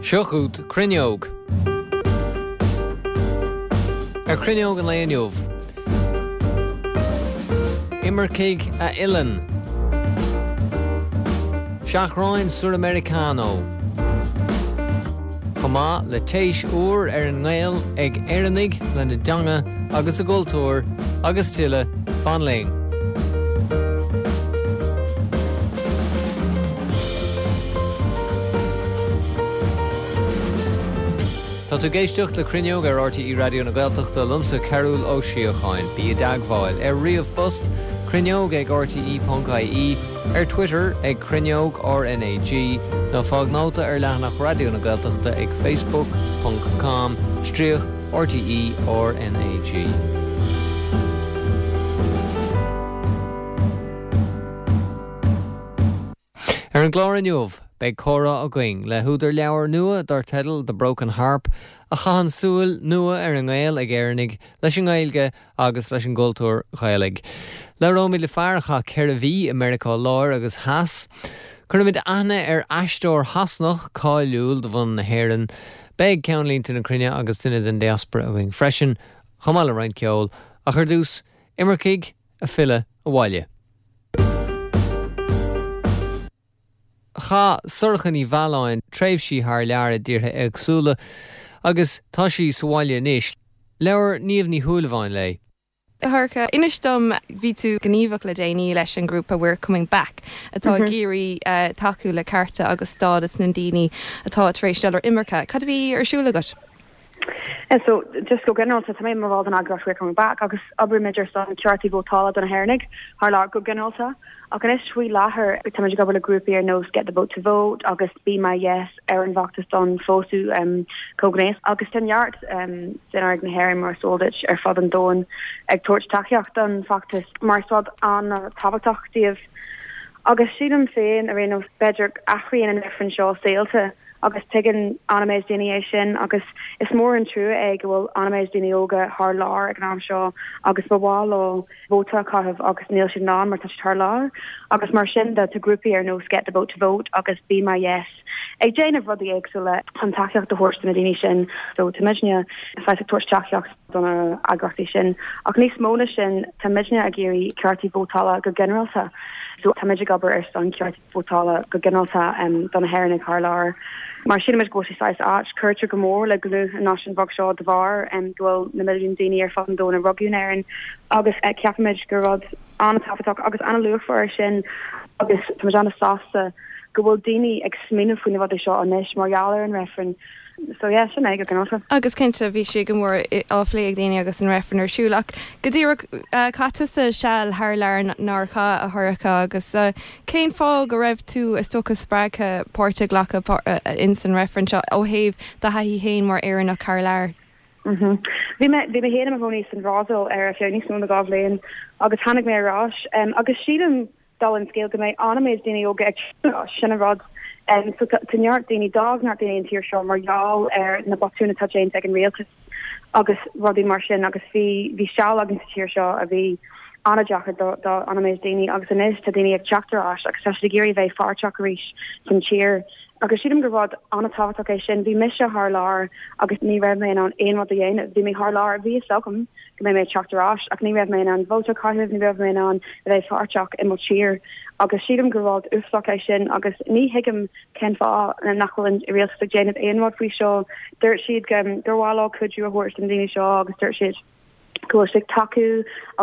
Seo chugat Cruinneog. Ar Chruinneog an lae inniu, imircigh a fhilleann. Seachráin Suramericano. Chomh maith le téis úr ar an ngaol ag Éireannaigh lena dteanga agus a gcultúr agus tuilleadh, fan linn. Tá tú ag éisteacht le Cruinneog ar RTÉ Raidió na Gaeltachta, liomsa Cearbhall Ó Síocháin. Bí i dteagmháil ar ríomhphost, cruinneog ag rte.ie, ar Twitter ag Cruinneog RnaG, nó fág nóta ar leathanach Raidió na Gaeltachta ag facebook ponc com stríoc RTÉ RnaG. Ar an gclár inniu, beidh comhrá againn le húdar leabhair nua dar teideal The Broken Harp, a chaitheann súil nua ar an ngaol ag Éireannaigh leis an nGaeilge agus leis an gcultúr Ghaelaigh. Labhróimid le fear a chaith 4 mhí i Meiriceá Láir agus Theas. Cuirfimid aithne ar aisteoir Shasanach cáiliúil de bhunadh na hÉireann. Beidh ceannlínte na cruinne agus duine den diaspora againn freisin, chomh maith le roinnt ceoil. Ach ar dtús, imircigh ag filleadh abhaile. Chaith Sorcha Ní Mhealláin tréimhsí thar lear i dtíortha éagsúla agus tá sí sa bhaile anois. Labhair Niamh Ní Shúilleabháin léi. A Shorcha, inis dom, bhí tú gníomhach le déanaí leis an ngrúpa We're Coming Back atá ag iarraidh tacú le cearta agus stádas na ndaoine atá tar éis dul ar imirce. Cad a bhí ar siúl agat? So, just go ginearálta, tá mé i mo bhall den eagraíocht We're Coming Back agus oibrímid ar son ceartaí vótála do na hÉireannaigh thar lear go ginearálta. Ach anois faoi láthair, táimid ag obair le grúpaí ar nós Get the Vote to Vote agus Be My Yes ar an bhfeachtas don phósadh comhghnéas agus tá neart d'Éireannaigh na hÉireann mar is eol duit ar fud an domhain ag tabhairt tacaíocht don bhfeachtas mar is rud an-tábhachtach dóibh. Agus sílim féin ar aon nós, b'fhéidir, athraíonn an reifreann seo saolta agus tuigeann an-méid daoine é sin agus is mór an trua é go bhfuil an-méid daoine óga thar lear ag an am seo agus ba mhaith leo vóta a chaitheamh agus níl siad in ann mar tá siad thar lear agus mar sin de tá grúpaí ar nós Get the Vote to Vote agus Be My Yes ag déanamh rudaí éagsúla chun tacaíocht a thabhairt do na daoine sin. So tá muidne saghas ag tabhairt tacaíocht do na heagraíochtaí sin. Ach níos mó na sin, tá muidne ag iarraidh ceartaí vótála go ginearálta. So tá muid ag obair ar son ceartaí vótála go ginearálta do na hÉireannaigh thar lear. Mar sílimid go bhfuil sé saghas ait, cuirtear go mór le dlúth an náisiúin bheag seo de bharr go bhfuil na milliúin daoine ar fud an domhain a rugadh in Éirinn agus ceapaimid gur rud an-tábhachtach agus an-luachmhar é sin agus táimid an-sásta go bhfuil daoine ag smaoineamh faoi na rudaí seo anois mar gheall ar an reifreann. So yeah, sin é go ginearálta. Agus cinnte, bhí sé go mór á phlé ag daoine agus an reifreann ar siúl. Ach go díreach, chaith tusa seal thar lear nár chaith, a Shorcha, agus cén fáth go raibh tú, is dócha, spreagtha páirt a ghlacadh ins an reifreann seo ó thaobh do thaithí féin mar Éireannach thar lear? Bhí mé, bhí mé féin i mo chónaí san Bhrasaíl ar feadh níos mó na 2 bhliain agus tháinig mé ar ais agus sílim, dála an scéil go mbeidh an-méid daoine óga ag teacht ar ais, sin an rud. So tá neart daoine, d'fhág neart daoine an tír seo mar gheall ar na botúin atá déanta ag an rialtas agus rudaí mar sin agus bhí bhí seal againn sa tír seo a bhí an-deacair do do an-méid daoine agus anois tá daoine ag teacht ar ais agus tá siad ag iarraidh a bheith pháirteach arís san tír. Agus sílim gur rud an-tábhachtach é sin. Bhí mise thar lear agus ní raibh mé in ann aon rud a dhéanamh. Bhí mé thar lear, bhí fhios agam go mbeidh mé ag teacht ar ais ach ní raibh mé in ann vóta a chaitheamh, ní raibh mé in ann a bheith páirteach i mo tír agus sílim gur rud uafásach é sin agus ní thuigim cén fáth nach bhfuil an rialtas ag déanamh aon rud faoi seo. Dúirt siad gur mhaith leo cuidiú a thabhairt do na daoine seo agus dúirt siad go bhfuil siad ag tacú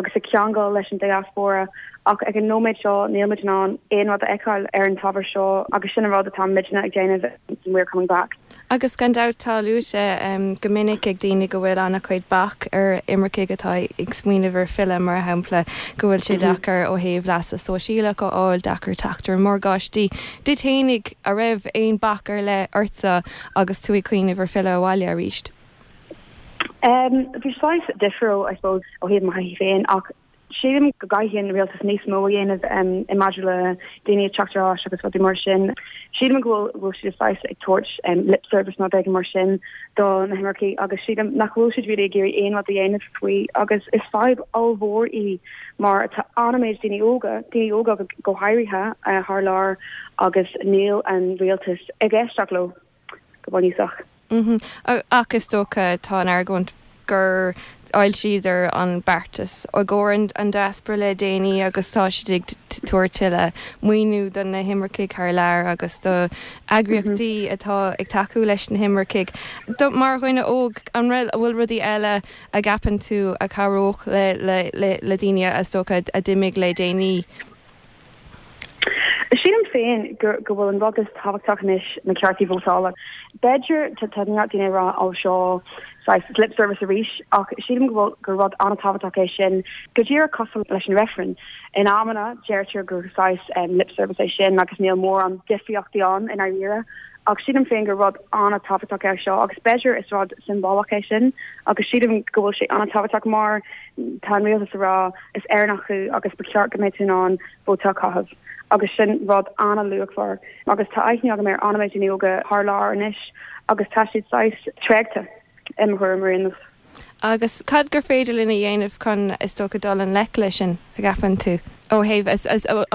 agus ag ceangal leis an diaspóra ach ag an nóiméad seo níl muid in ann aon rud a fheiceáil ar an t-ábhar seo agus sin an rud atá muidne ag déanamh in We're Coming Back. Agus gan dabht tá luaite go minic ag daoine go bhfuil an-chuid bac ar imircigh atá ag smaoineamh ar filleadh, mar shampla go bhfuil sé deacair ó thaobh leasa sóisialach a fháil, deacair teacht ar mhorgáistí. Duit fhéinig, a' raibh aon bac ar leith ortsa agus tú ag cuimhneamh ar filleadh abhaile arís? Bhí saghas difriúil, I suppose, ó thaobh mo thaithí féin ach sílim go gcaithfidh an rialtas níos mó a dhéanamh i maidir le daoine ag teacht ar ais agus rudaí mar sin. Sílim go bhfuil siad saghas ag tabhairt lip service nó rud éigin mar sin do na himircigh agus sílim nach bhfuil siad really ag iarraidh aon rud a dhéanamh faoi agus is fadhb ollmhór í mar tá an-méid daoine óga, daoine óga go háirithe thar lear agus níl an rialtas ag éisteacht leo. Go bunúsach. Ach is dócha, tá an argóint gur fhoilsíodar an beartas i gcomhair an diaspora le déanaí agus tá siad ag tabhairt tuilleadh maoiniú do na himircigh thar lear agus do eagraíochtaí atá ag tacú leis na himircigh. Mar dhuine óg, an bhfuil rudaí eile a gceapann tú a chabhródh le daoine is dócha a d'imigh le déanaí? Sílim féin go go bhfuil an rud is tábhachtach anois na ceartaí vótála. B'fhéidir tá tá neart daoine ag rá ó seo saghas lip service arís ach sílim go bhfuil gur rud an-tábhachtach é sin go díreach cosúil leis an reifreann. In amanna deirtear gur saghas um, lip service é sin agus níl mórán difríochtaí ann i ndáiríre ach sílim féin gur rud an-tábhachtach é seo agus b'fhéidir is rud siombalach é sin agus sílim go bhfuil sé an-tábhachtach mar tá an rialtas ag rá is Éireannach thú agus ba cheart go mbeadh tú in ann vóta a chaitheamh agus sin rud an-luachmhar agus tá aithne agam ar an-méid daoine óga thar lear anois agus tá siad saghas tréigthe i mo thuairim ar aon nós. Agus cad gur féidir linn a dhéanamh chun, is dócha, dul i ngleic leis sin, a gceapann tú? Ó thaobh,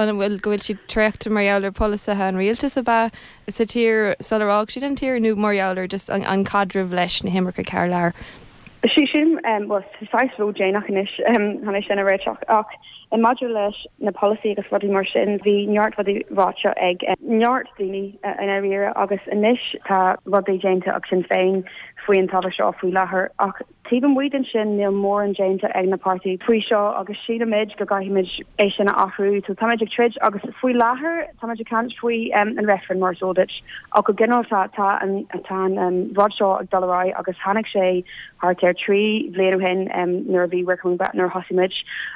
an bhfuil, go bhfuil siad traochta mar gheall ar polasaithe an rialtais ab ea sa tír sular fhág siad an tír nó mar gheall ar just an caidreamh leis na himircigh thar lear? Sílim, bhuel, tá saghas ródhéanach anois chun é sin a réiteach, ach maidir leis na polasaí agus rudaí mar sin, bhí neart rudaí ráite ag neart daoine i ndáiríre agus anois tá rudaí déanta ag Sinn Féin faoi an t-ábhar seo faoi láthair ach taobh amuigh den sin níl mórán déanta ag na páirtithe faoi seo agus sílimid go gcaithfimid é sin a athrú. So táimid ag troid agus faoi láthair táimid ag caint faoi an reifreann mar is eol duit. Ach go ginearálta tá an tá an rud seo ag dul ar aghaidh agus tháinig sé thart ar 3 bhliain ó shin nuair a bhí We're Coming Back nuair a thosaigh muid.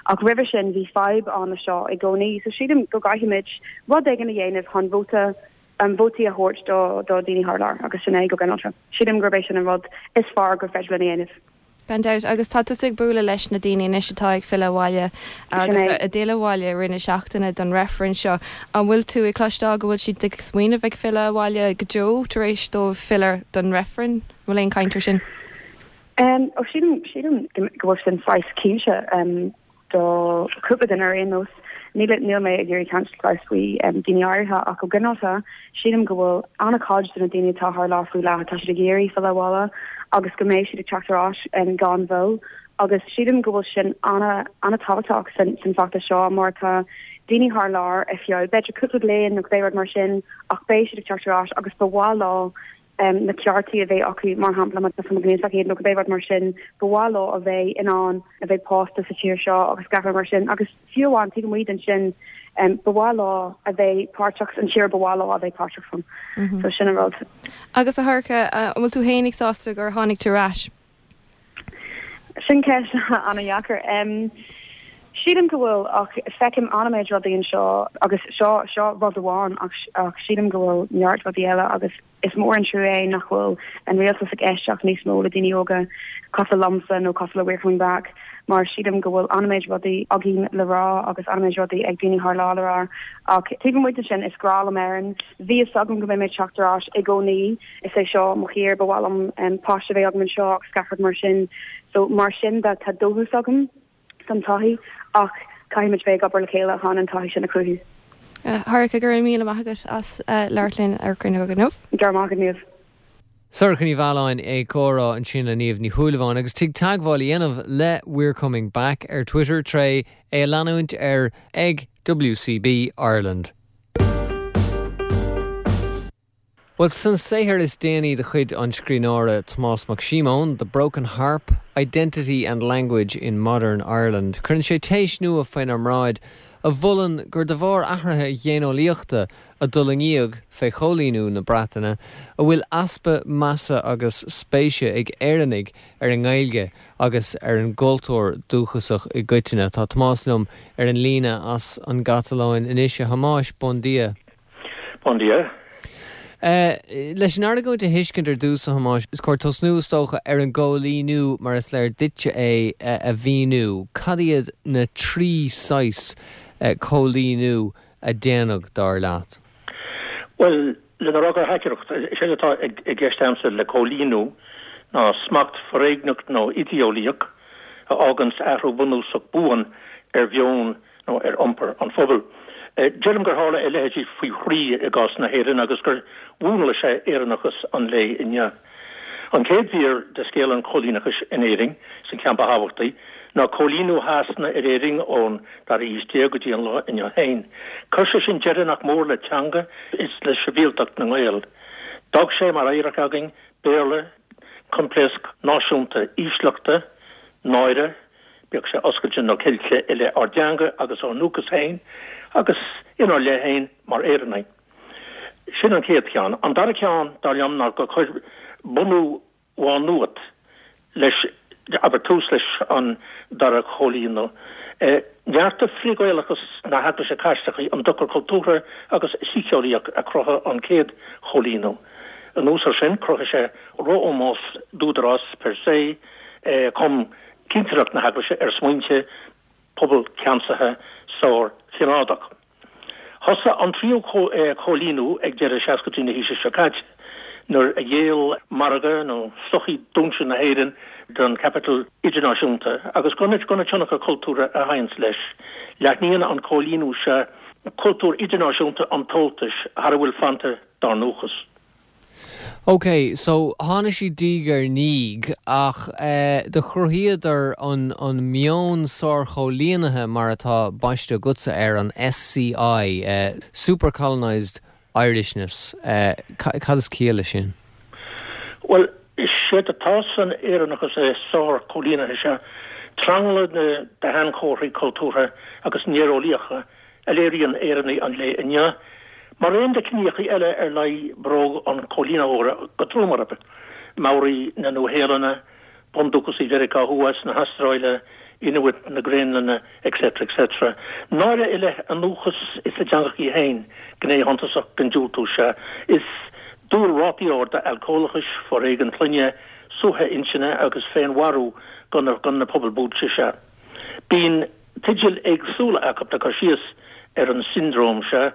Ach roimhe sin bhí fadhb ann le seo i gcónaí. So sílim go gcaithfimid rud éigin a dhéanamh chun vóta vótaí a thabhairt do do daoine thar lear agus sin é go ginearálta. Sílim gurb é sin an rud is fearr gur féidir linn a dhéanamh. Gan dabht. Agus tá tusa ag bualadh leis na daoine anois atá ag filleadh abhaile agus a d'fhill abhaile i rith na seachtaine don reifreann seo. An bhfuil tú ag cloisteáil go bhfuil siad ag smaoineamh ag filleadh abhaile go deo tar éis dóibh filleadh don reifreann? An bhfuil aon chaint ar sin? Ó sílim, sílim go bhfuil sin saghas cinnte. Do chúpla duine ar aon nós, níl níl mé ag iarraidh caint saghas faoi daoine áirithe ach go ginearálta sílim go bhfuil an-chuid de na daoine atá thar lear faoi láthair tá siad ag iarraidh filleadh abhaile agus go mbeidh siad ag teacht ar ais gan mhoill agus sílim go bhfuil sin an-tábhachtach san san feachtas seo mar tá daoine thar lear ar feadh b'fhéidir cúpla bliain nó cibé rud mar sin ach beidh siad ag teacht ar ais agus ba mhaith leo na ceartaí a bheith acu, mar shampla, má tá gnéasach iad nó cibé rud mar sin, ba mhaith leo a bheith in ann a bheith pósta sa tír seo agus gach rud mar sin. Agus fiú amháin taobh amuigh den sin, ba mhaith leo a bheith páirteach san tír ba mhaith leo a bheith páirteach ann. So sin an rud. Agus a Shorcha, an bhfuil tú fhéinig sásta gur tháinig tú ar ais? Sin ceist an-dheacair. Sílim go bhfuil ach feicim an-méid rudaí anseo agus seo seo rud amháin ach ach sílim go bhfuil neart rudaí eile agus is mór an trua é nach bhfuil an rialtas ag éisteacht níos mó le daoine óga cosúil liomsa nó cosúil le We're Coming Back mar sílim go bhfuil an-méid rudaí againn le rá agus an-méid rudaí ag daoine thar lear le rá ach taobh amuigh de sin is grá liom Éirinn. Bhí fhios agam go mbeidh mé ag teacht ar ais i gcónaí. Is é seo mo thír, ba mhaith liom páiste a bheith agam anseo agus gach rud mar sin. So mar sin de tá dóchas agam don todhchaí ach caithfimid bheith ag obair le chéile chun an todhchaí sin a chruthú. Shorcha, go raibh míle maith agat as labhairt linn ar Cruinneog inniu. Go raibh maith agat, Niamh. Sorcha Ní Mhealláin ag comhrá ansin le Niamh Ní Shúilleabháin agus tig teagmháil a dhéanamh le We're Coming Back ar Twitter tré é a leanúint ar ag WCB Ireland. Bhuel, san saothar is déanaí de chuid an scríbhneora Tomás Mac Síomóin, The Broken Harp, Identity and Language in Modern Ireland, cuireann sé téis nua faoinár mbráid a mholann gur de bharr athruithe ghéineolaíochta a d'fhulaingíodh fé choilíniú na Breataine a bhfuil easpa measa agus spéise ag Éireannaigh ar an nGaeilge agus ar an gcultúr dúchasach i gcoitinne. Tá Tomás liom ar an líne as an gCatalóin anois. A Thomáis, bon dia. Bon dia. Leis an argóint a thuiscint ar dtús, a Thomáis, is cóir tosnú, is dócha, ar an gcóilíniú mar is léir duitse é a mhíniú. Cad iad na trí saghas cóilíniú a déanadh, dar leat? Bhuel, lena rá go haicearrach, is éard atá i gceist agamsa le cóilíniú ná smacht foréigneach nó idéeolaíoch a fháganns athrú bunúsach buan ar mheon nó ar iompar an phobail. Deirim gur tharla a leithéidí faoi thrí i gcás na hÉireann agus gur mhúnlaigh sé Éireannachas an lae inniu. An chéad mhír de scéal an choilíneachais in Éirinn, is an ceann ba thábhachtaí, ná coilíniú Shasana ar Éirinn ón dara haois déag go dtí an lá inniu féin. Chuir sé sin deireadh nach mór le teanga is le sibhialtacht na nGael. D'fhág sé mar oidhreacht againn Béarla, coimpléasc náisiúnta ísleachta, náire, bíodh sé oscailte nó ceilte i leith ár dteanga agus ár ndúchas féin agus inár leith féin mar Éireannaigh. Sin an chéad cheann. An dara ceann, dar liom, ná gur chuir bunú Mhá Nuad leis, abair, tús leis an dara choilíniú. Neartaigh frith-Ghaelachas na hEaglaise Caitlicí an dochar cultúrtha agus síceolaíoch a chruthaigh an chéad choilíniú. Anuas air sin, chruthaigh sé ró-ómós d'údarás per se, chum cinsireacht na hEaglaise ar smaointe pobal ceansaithe sár-chineádach. Thosaigh an tríú coilíniú ag deireadh seascaidí na haoise seo caite, nuair a ghéill margadh nó sochaí dúinse na hÉireann don chaipiteal idirnáisiúnta agus gona tionchar cultúrtha a thaganns leis. Leathnaíonn an coilíniú seo cultúr idirnáisiúnta an tomhaltais thar a bhfuil fanta dár ndúchas. Ok, so tháinig siad diaidh ar ndiaidh ach eh do chruthaíodar an an meon sárchóilínithe mar atá baiste agatsa air, an SCI, eh super colonised Irishness, eh cad is ciall leis sin? Bhuel, is éard atá san Éireannachas sárchóilínithe seo tranglam de shainchomharthaí cultúrtha agus néareolaíocha a léiríonn Éireannaigh an lae inniu, mar aon le ciníocha eile ar luigh bróg an choilínitheora go trom orthu, Maoraigh na Nua-Shéalainne, Bundúchasaigh Mheiriceá Thuaidh is na hAstráile, Inuit na Graonlainne, etc. etc. Náire i leith a ndúchas is a dteangachaí féin gné shuntasach den diúltú seo. Is dual rátaí arda alcólachais, foréigean clainne, suaitheadh intinne agus féinmharú do na pobail buailte seo. Bíonn teidil éagsúla acu le cur síos ar an siondróm seo,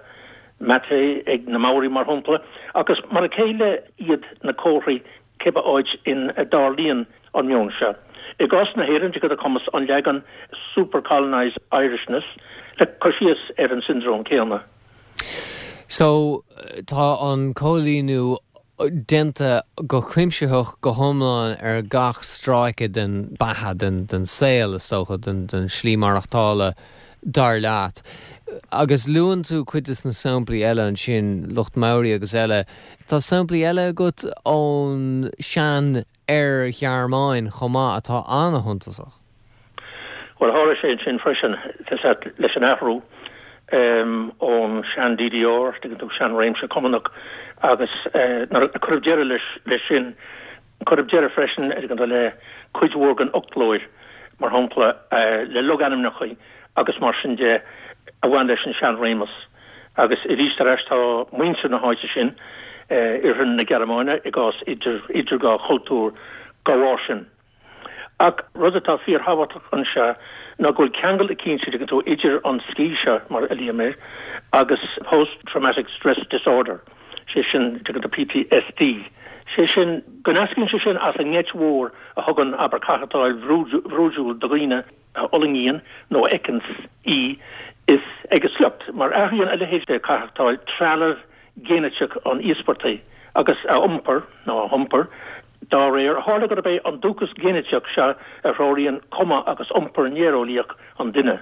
mate ag na Maoraigh mar shampla, ach is mar a chéile iad na comharthaí cibé áit ina dtarlaíonn an meon seo. I gcás na hÉireann, de chumas an leagan super colonised Irishness le cur síos ar an siondróm céanna. So, tá an coilíniú déanta go cuimsitheach, go hiomlán ar gach stráice den beatha, den saol, is dócha, den slí maireachtála, dar leat. Agus luann tú cuid de na samplaí eile ansin, lucht Maori agus eile. Tá samplaí eile agat ón sean Oir-Ghearmáin chomh maith atá an-shuntasach. Bhuel, tharla sé ansin freisin, leis an athrú ón sean-DDR, tuigeann tú, sean-réimse Cumannach, agus nuair a cuireadh deireadh leis sin, cuireadh deireadh freisin, tuigeann tú, le cuid mhór den fhoclóir, mar shampla, le logainmneacha agus mar sin de a bhain leis an sean-réimeas. Agus arís ar ais tá muintir na háite sin, Oirthear na Gearmáine, i gcás idir dhá chultúr dá bharr sin. Ach rud atá fíorthábhachtach anseo ná go bhfuil ceangal eicínt, tuigeann tú, idir an SCI seo, mar a luaim air, agus Post Traumatic Stress Disorder, sé sin, tuigeann tú, PTSD. Sé sin, go n-eascraíonn sé sin as an ngeit mhór a thugann, abair, caitheachtáil bhrúidiúil do dhaoine a fhulaingíonn nó a fheiceanns í is ag a sliocht, mar athraíonn a leithéid de chaitheachtáil trealamh géiniteach an íospartaigh agus a iompar, nó a hiompar, dá réir. Tharla gurb é an dúchas géiniteach seo a threoraíonn cuma agus iompar néareolaíoch an duine.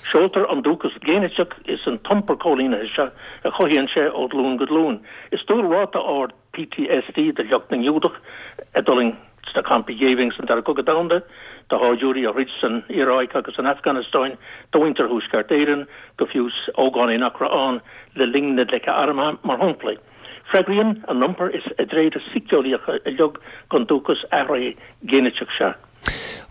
Seoltar an dúchas géiniteach is an t-iompar coilínithe seo a chothaíonn sé ó ghlúin go glúin. Is dual ráta ard PTSD do shliocht na nGiúdach a d'fhulaing sna campaí géibhinn san Dara Cogadh Domhanda, do shaighdiúirí a throid san Iaráic agus san Afganastáin, do mhuintir Thuaisceart Éireann, go fiú ógánaigh nach raibh ann le linn na gleice armtha, mar shampla. Freagraíonn a n-iompar is a dtréithe síceolaíocha uilig don dúchas athraithe géiniteach seo.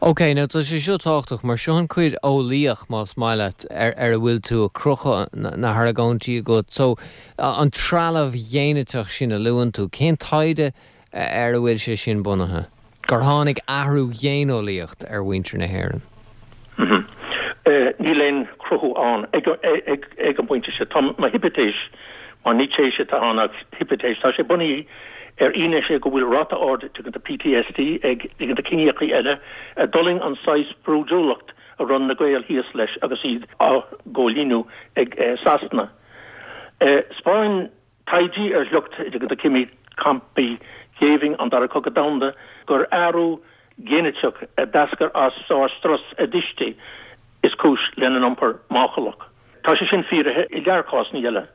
Ok, now tá sé seo tábhachtach mar seo an cuid eolaíoch, más maith leat, ar ar a bhfuil tú ag crochadh na hargóintí agat. So, an trealamh ghéiniteach sin a luann tú, cén taighde ar a bhfuil sé sin bunaithe? Gur tháinig athrú ghéineolaíocht ar mhuintir na hÉireann? Níl aon chruthú ann ag an bpointe seo. Tá mo hipitéis, mar ní téis atá ann ach hipitéis, tá sé bunaithe ar fhianaise go bhfuil ráta ard tuigeann tú PTSD ag tuigeann tú ciníocha eile a d'fhulaing an saghas brúidiúlacht. a raibh na Gaeil thíos leis agus iad á gcóilíniú ag Sasana. 'Spáin taighde ar shliocht de chimí campaí géibhinn an Dara Cogadh Domhanda gur athrú géiniteach a d'eascair as sár-strus a dtuistí is cúis lena n-iompar máchailach. Tá sé sin fíoraithe i lear cásanna eile.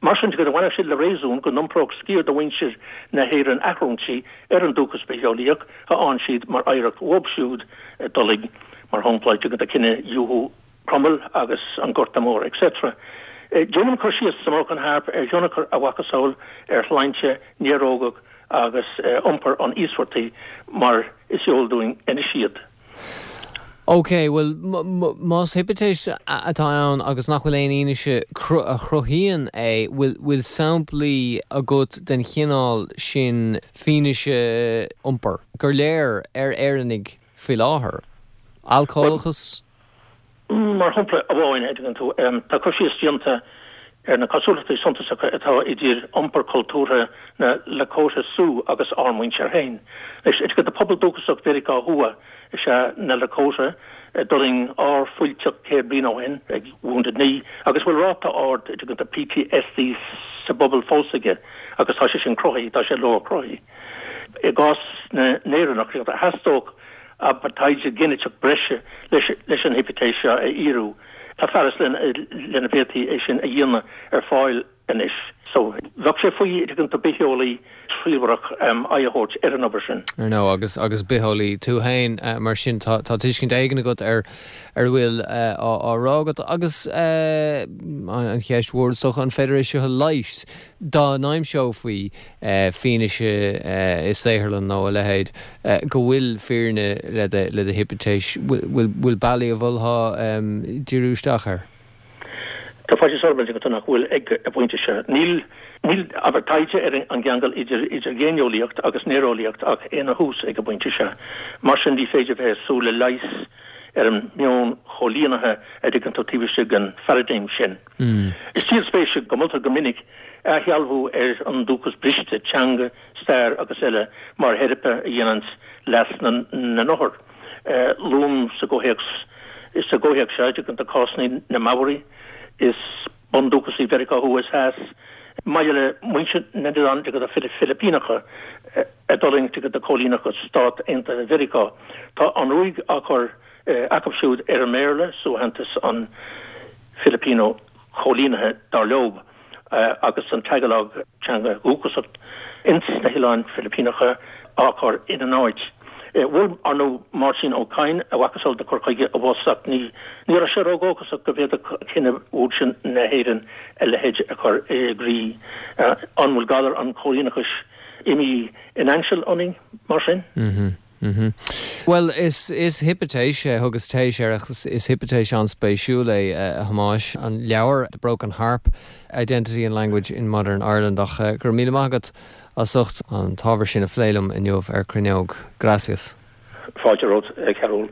Mar sin de, bhainfeadh sé le réasún go n-iompródh sciar de mhuintir na hÉireann athrúintí ar an dúchas bitheolaíoch a fhaigheann siad mar oidhreacht uathu siúd a d'fhulaing, mar shampla, cinedhíothú Cromail agus an Gorta Mór etc. Déanaim cur síos sa mBroken Harp ar thionchar a mhacasamhail ar shláinte néarógach agus iompar an íospartaigh mar is eol dúinn anois iad. Ok, bhuel, más hipitéis atá ann agus nach bhfuil aon fhianaise a chruthaíonn é, bhfuil samplaí agat den chineál sin fianaise iompair gur léir ar Éireannaigh faoi láthair? Alcólachas? Mar shampla amháin, a dtuigeann tú, tá cur síos déanta ar na cosúlachtaí suntasacha atá idir iompar cultúrtha na Lakota Sioux agus ár muintir féin. Anois, a dtuigeann tú, pobal dúchasach Mheiriceá Thuaidh is ea na Lakota, a d'fhulaing ár fuilteach 100 bliain ó shin ag Wounded Knee, agus a bhfuil ráta ard, a dtuigeann tú, PTSD sa bpobal fós aige, agus tá sé sin cruthaithe, tá sé leor-chruthaithe. I gcás na nÉireannach, theastódh abair, taighde géiniteach breise leis an hipitéis seo a fhíorú. Tá fearas lena bhféadfaí é sin a dhéanamh ar fáil anois. So, bheadh sé faoi, tuigeann tú, bitheolaí triallmharach aghaidh a thabhairt ar an obair sin. Ar ndóigh, agus agus bitheolaí tú féin, mar sin tá tá tuiscint éigin agat ar ar a bhfuil á rá agat. Agus an cheist mhór is dócha, an féidir é seo a leigheas? Dá n-aimseofaí fianaise i saotharlann nó a leithéid go bhfuil fírinne le do hipitéis, bhfuil bealaí a mholfá díriú isteach air? Tá faitíos orm a dtuigeann tú nach bhfuil ag an bpointe seo. Níl, níl, abair, taighde ar an gceangal idir idir ghéineolaíocht agus néareolaíocht ach ina thús ag an bpointe seo. Mar sin ní féidir bheith ag súil le leigheas ar an meon choilínithe a dtuigeann tú taobh istigh den pharadigm sin. Is díol spéise go moltar go minic athshealbhú ar an dúchas briste, teanga, stair agus eile, mar theiripe a dhéananns leas na n-othar. Luaim sa gcomhthéacs sa gcomhthéacs seo, dtuigeann tú, cásanna na Maori is bundúchasaigh Mheiriceá Thuaidh is Theas, maille le muintir na n-oileán Filipíneacha a d'fhulaing tuigeann tú coilíneachas Stát Aontaithe Mheiriceá. Tá an ruaig á cur acu siúd ar an mBéarla, suaitheantas an Filipino choilínithe, dar leob, agus an Tagalog, teanga dhúchasach ins na hOileáin Philipíneacha, á chur ina n-áit. Mhol, ar ndóigh, Máirtín Ó Cadhain a mhacasamhail de chur chuige abhus ach ní raibh sé ródhóchasach go bhféadfadh cine úd sin na hÉireann a leithéid a chur i gcrích. An bhfuil galar an choilíneachais imithe in ainseal ionainn, mar sin? Bhuel, is is hipitéis é, thugas téis air ach is hipitéis an-spéisiúil é, a Thomáis, an leabhar The Broken Harp, Identity and Language in Modern Ireland ach go raibh míle maith agat as ucht an t-ábhar sin a phlé liom inniu ar Cruinneog. Gracias. Fáilte romhat, a Chearúil.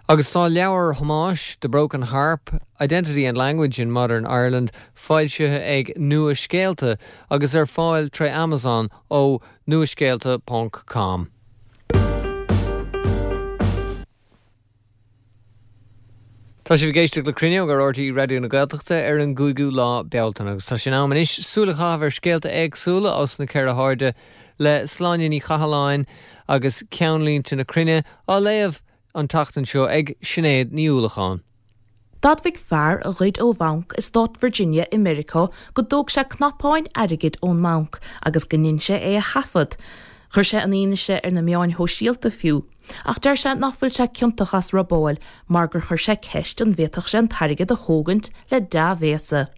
Agus tá leabhar Thomáis, The Broken Harp, Identity and Language in Modern Ireland foilsithe ag Nua Scéalta agus ar fáil tré Amazon ó Nuascéalta ponc com. Tá sibh ag éisteacht le Cruinneog ar RTÉ Raidió na Gaeltachta ar an gcúigiú lá Bealtaine agus tá sé in am anois súil a chaitheamh ar scéalta éagsúla os na ceithre hairde le Sláine Ní Chathalláin agus Ceannlínte na Cruinne á léamh an tseachtain seo ag Sinéad Ní Uallacháin. D'admhaigh fear a ghoid ó bhanc i stát Virginia i Meiriceá go dtóg sé cnapáin airgid ón mbanc agus go ndein sé é a thaifead. Chuir sé an fhianaise ar na meáin shóisialta fiú. Ach deir sé nach bhfuil sé ciontach as robáil mar gur chuir sé ceist an bhféadfadh sé an t-airgead a thógaint le dea-bhéasa.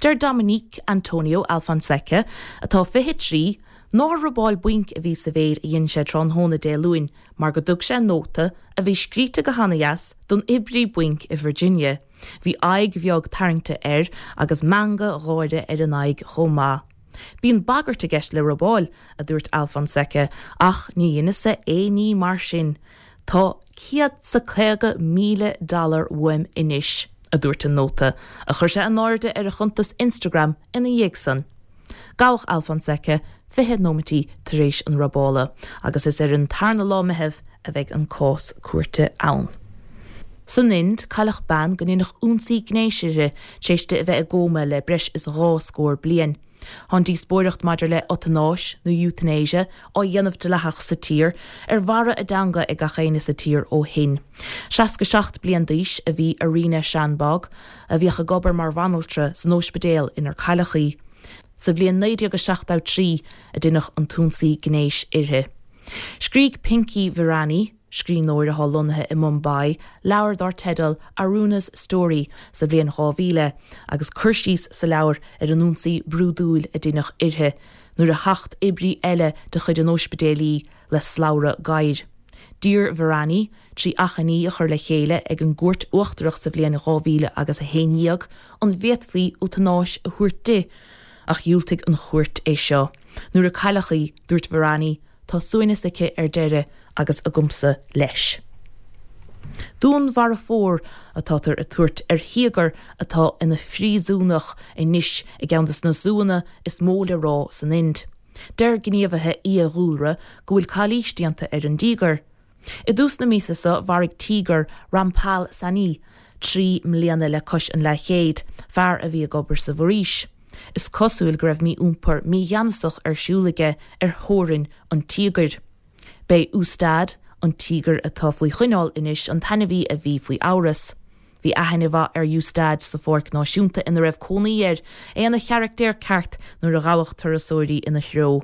Deir Dominique Antonio Alfonseca, atá 23, nár robáil bainc a bhí sa mhéid a dhein sé tráthnóna Dé Luain mar go dtug sé nóta, a bhí scríte go hana-dheas, don oibrí bainc i Virginia. Bhí aghaidh bheag tarraingte air agus meangadh gáire ar an aghaidh chomh maith. Bíonn bagairt i gceist le robáil, a dúirt Alfonseca, ach ní dheineas-sa aon ní mar sin. Tá $150,000 dollar uaim anois, a dúirt an nóta, a chuir sé in airde ar a chuntas Instagram ina dhiaidh san. Gabhadh Alfonseca 20 nóimití tar éis an robála agus is ar an tarna lá Meitheamh a bheidh an cás cúirte ann. San Ind, cailleadh bean go ndeineadh ionsaí gnéis uirthi tar éis di a bheith i gcóma le breis is 20 scór bliain. Tá an díospóireacht maidir le eotanáis, nó euthanasia, á dhéanamh dleathach sa tír, ar bharra a dteanga ag gach éinne sa tír ó shin. 67 bliain d'aois a bhí Aruna Shanbaug, a bhíodh ag obair mar bhanaltra san óispidéal inar cailleadh í. Sa bhliain 1973 a deineadh an t-ionsaí gnéis uirthi. Scrígh Pinky Virani, scríbhneoir atá lonnaithe i Mumbai, leabhar dár teideal Aruna's Story sa bhliain 2000 agus cur síos sa leabhar ar an ionsaí brúidiúil a deineadh uirthi nuair a thacht oibrí eile de chuid an óispidéil í le slabhra gadhair. D'iarr Virani, trí achainí a chur le chéile ag an gCúirt Uachtarach sa bhliain 2000 agus 11, an bhféadfaí eotanáis a thabhairt di, ach dhiúltaigh an chúirt é seo. Nuair a cailleadh í, dúirt Virani, Tá suaimhneas aici ar deireadh agus agamsa leis. Dúnmharfóir atátar ag tabhairt ar thíogar atá ina phríosúnach anois i gceann de na zúanna is mó le rá san Ind. Deir gníomhaithe fhiadhúlra go bhfuil calaois déanta ar an dtíogar. I dtús na míosa seo mharaigh tíogar Rampal Sahni, 3 mbliana le cois an leathchéid, fear a bhí ag obair sa bhforaois. Is cosúil go raibh mí-iompar mígheanasach ar siúl aige ar theorainn an tíogair. B'é Ustad, an tíogar atá faoi choinneáil anois, an t-ainmhí a bhí faoi amhras. Bhí aithne mhaith ar Ustad sa pháirc náisiúnta ina raibh cónaí air, é ina charactéir ceart nuair a ghabhadh turasóirí ina threo.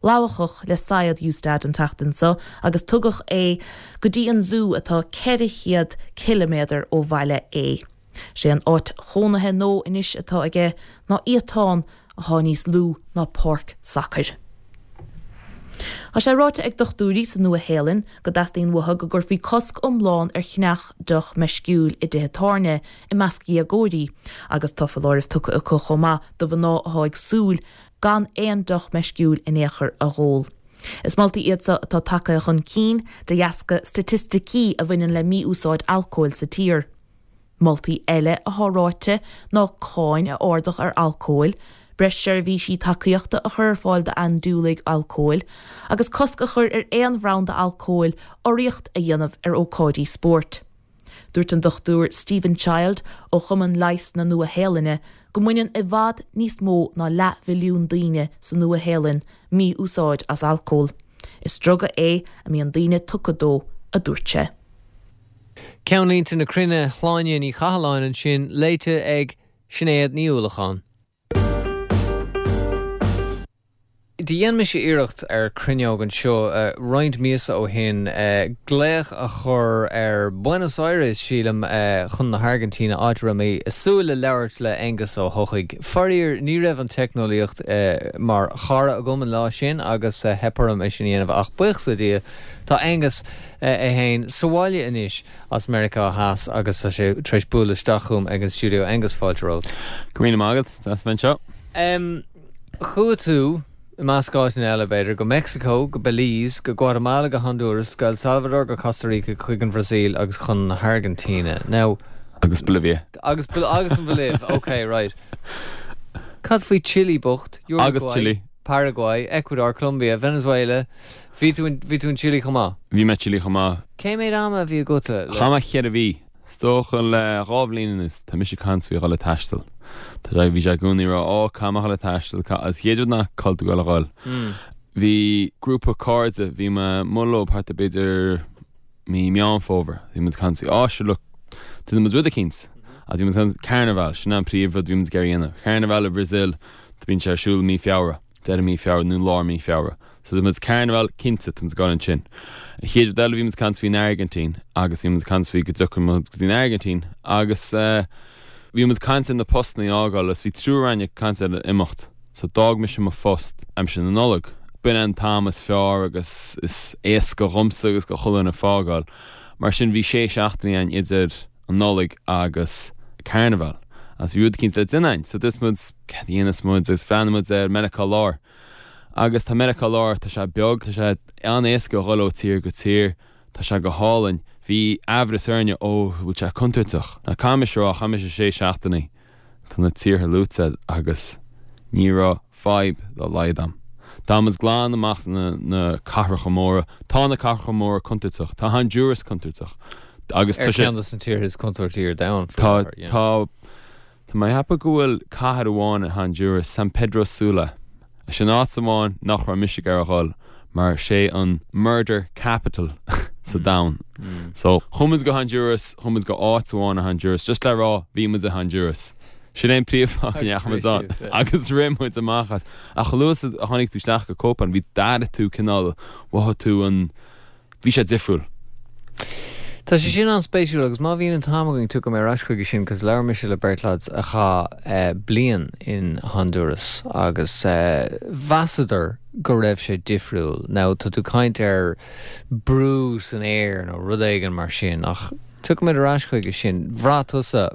Lamhachadh le saighead Ustad an tseachtain seo agus tugadh é go dtí an zú atá 400 ciliméadar ó bhaile é. Sé an áit chónaithe nua anois atá aige ná iatán athá níos lú ná páirc sacair. Tá sé ráite ag dochtúirí sa Nua-Shéalainn go dteastaíonn uathu go gcuirfí cosc iomlán ar cheannach deoch meisciúil i dtithe tábhairne i measc dhéagóirí agus tá foláireamh tugtha acu chomh maith do mhná athá ag súil gan aon deoch meisciúil in aon chor a dh'ól. Is moltaí iad seo atá tagtha chun cinn de dheasca staitisticí a bhaineann le mí-úsáid alcóil sa tír. Moltaí eile athá ráite ná cáin a ardach ar alcóil, breis seirbhísí tacaíochta a chur ar fáil d'andúiligh alcóil, agus cosc a chur ar aon bhranda alcóil urraíocht a dhéanamh ar ócáidí spóirt. Dúirt an Dr Stephen Child ó Chumann Leighis na Nua-Shéalainne go mbaineann i bhfad níos mó ná leathmhilliún daoine sa Nua-Shéalainn mí-úsáid as alcól. Is druga é a mbíonn daoine tugtha dó, a dúirt sé. Ceannlínte na Cruinne, Shláine Ní Chathalláin ansin, léite ag Sinéad Ní Uallacháin. Do dhein mise iarracht ar Cruinneog anseo roinnt míosa ó shin glaoch a chur ar Buenos Aires, sílim, chun na hAirgintíne, áit a raibh mé ag súil le labhairt le Aengus Ó hEochaidh. Faraor, ní raibh an teicneolaíocht mar chara agam an lá sin agus theip orm é sin a dhéanamh ach buíochas le Dia, tá Aengus é féin sa bhaile anois as Meiriceá Theas agus tá sé tar éis bualadh isteach chugam ag an stiúideo. Aengus, fáilte romhat. Go raibh míle maith agat, deas a bheith anseo. Em, chuaigh tú, i measc áiteanna eile b'fhéidir, go Meicsiceo, go Belize, go Guatamala, go Honduras, go El Salvador, go Costa Rica, chuig an Bhrasaíl agus chun na hAirgintíne. Now. Agus Bolivia. Agus, agus an Bholaiv, ok, right. Cad faoi Chile bocht? Uruguay, Agus Chile. Paraguay, Ecuador, Colombia, Venezuela, Bhí tú in, bhí tú in Chile chomh maith? Bhí mé Chile chomh maith. Cé mhéad ama a bhí agat le. Chaith mé cheithre mhí. Is dócha le dhá bhliain anuas, tá mise ag caint faoi dhul ag taisteal. Tá sé, bhí sé i gcónaí ag rá, ó, caithfidh mé dhul ag taisteal, ca-, agus chéad rud ná cá bhfuil tú ag dul a dhul. Bhí grúpa cairde, bhí mé amuigh leo thart ar b'fhéidir mí Meán Fómhair, bhí muid ag caint faoi, á, sure look, déanfaidh muid rud eicínt. Agus bhí muid ag caint, Carnival, sin an príomh rud a bhí muid ag iarraidh a dhéanamh. Carnival i Brazil, bíonn sé ar siúl i mí Feabhra. deireadh mí Feabhra nó lár mí Feabhra. So tá muid Carnival cinnte, tá muid ag dul ansin. An chéad rud eile bhí muid ag caint faoin Airgintín agus bhí muid ag caint faoi go dtiocfaidh muid go dtí an Airgintín agus eh bhí muid ag caint ar na postanna a fhágáil agus bhí triúr againn ag caint ar imeacht. So d'fhág mise mo phost aimsir na Nollag. B'in an t-am is fearr agus is éasca dhomsa agus do chuile dhuine fágáil. Mar sin bhí sé seachtainí againn idir an Nollaig agus Carnival agus bhí rud eicínt le déanamh againn so dúirt muid céard a dhéanfas muid agus bhreathnaigh muid ar Meiriceá Láir agus tá Meiriceá Láir tá sé beag tá sé an-éasca a dhul ó tír go tír tá sé go hálainn bhí aimhreas orainne ó bhfuil sé contúirteach now caithfidh mise a rá chaith mise sé seachtainí Tá na tíortha luaite agus ní raibh fadhb dá laghad a'm. D'fhan muid glan amach na cathracha móra. Tá na cathracha móra contúirteach. Tá Honduras contúirteach. Agus tá sé. Ar cheann de na tíortha is contúirtí ar domhan faoi láthair, yeah. Tá, tá, tá mé ag ceapadh go bhfuil cathair amháin in Honduras, San Pedro Sula. Sin áit amháin nach raibh mise ag iarraidh a dhul mar sé an murder capital sa domhan. So, chuaigh muid go Honduras, chuaigh muid go áit amháin i Honduras just le rá bhí muid i Honduras. Sin é an príomhfháth go ndeachaigh muid ann. Agus rith muid amach as. Ach chomh luath is a tháinig tú isteach go Copan, bhí, d'airigh tú cineál, mhothaigh tú an, Bhí sé difriúil. Tá sé sin an-spéisiúil agus má bhíonn an t-am againn tiocfaidh mé ar ais chuige sin cos labhair mise le beirt lads a chaith bliain in Honduras agus mheasadar go raibh sé difriúil. Now tá tú caint ar brú san aer nó rud éigin mar sin ach tiocfaidh muid ar ais chuige sin. Bhraith tusa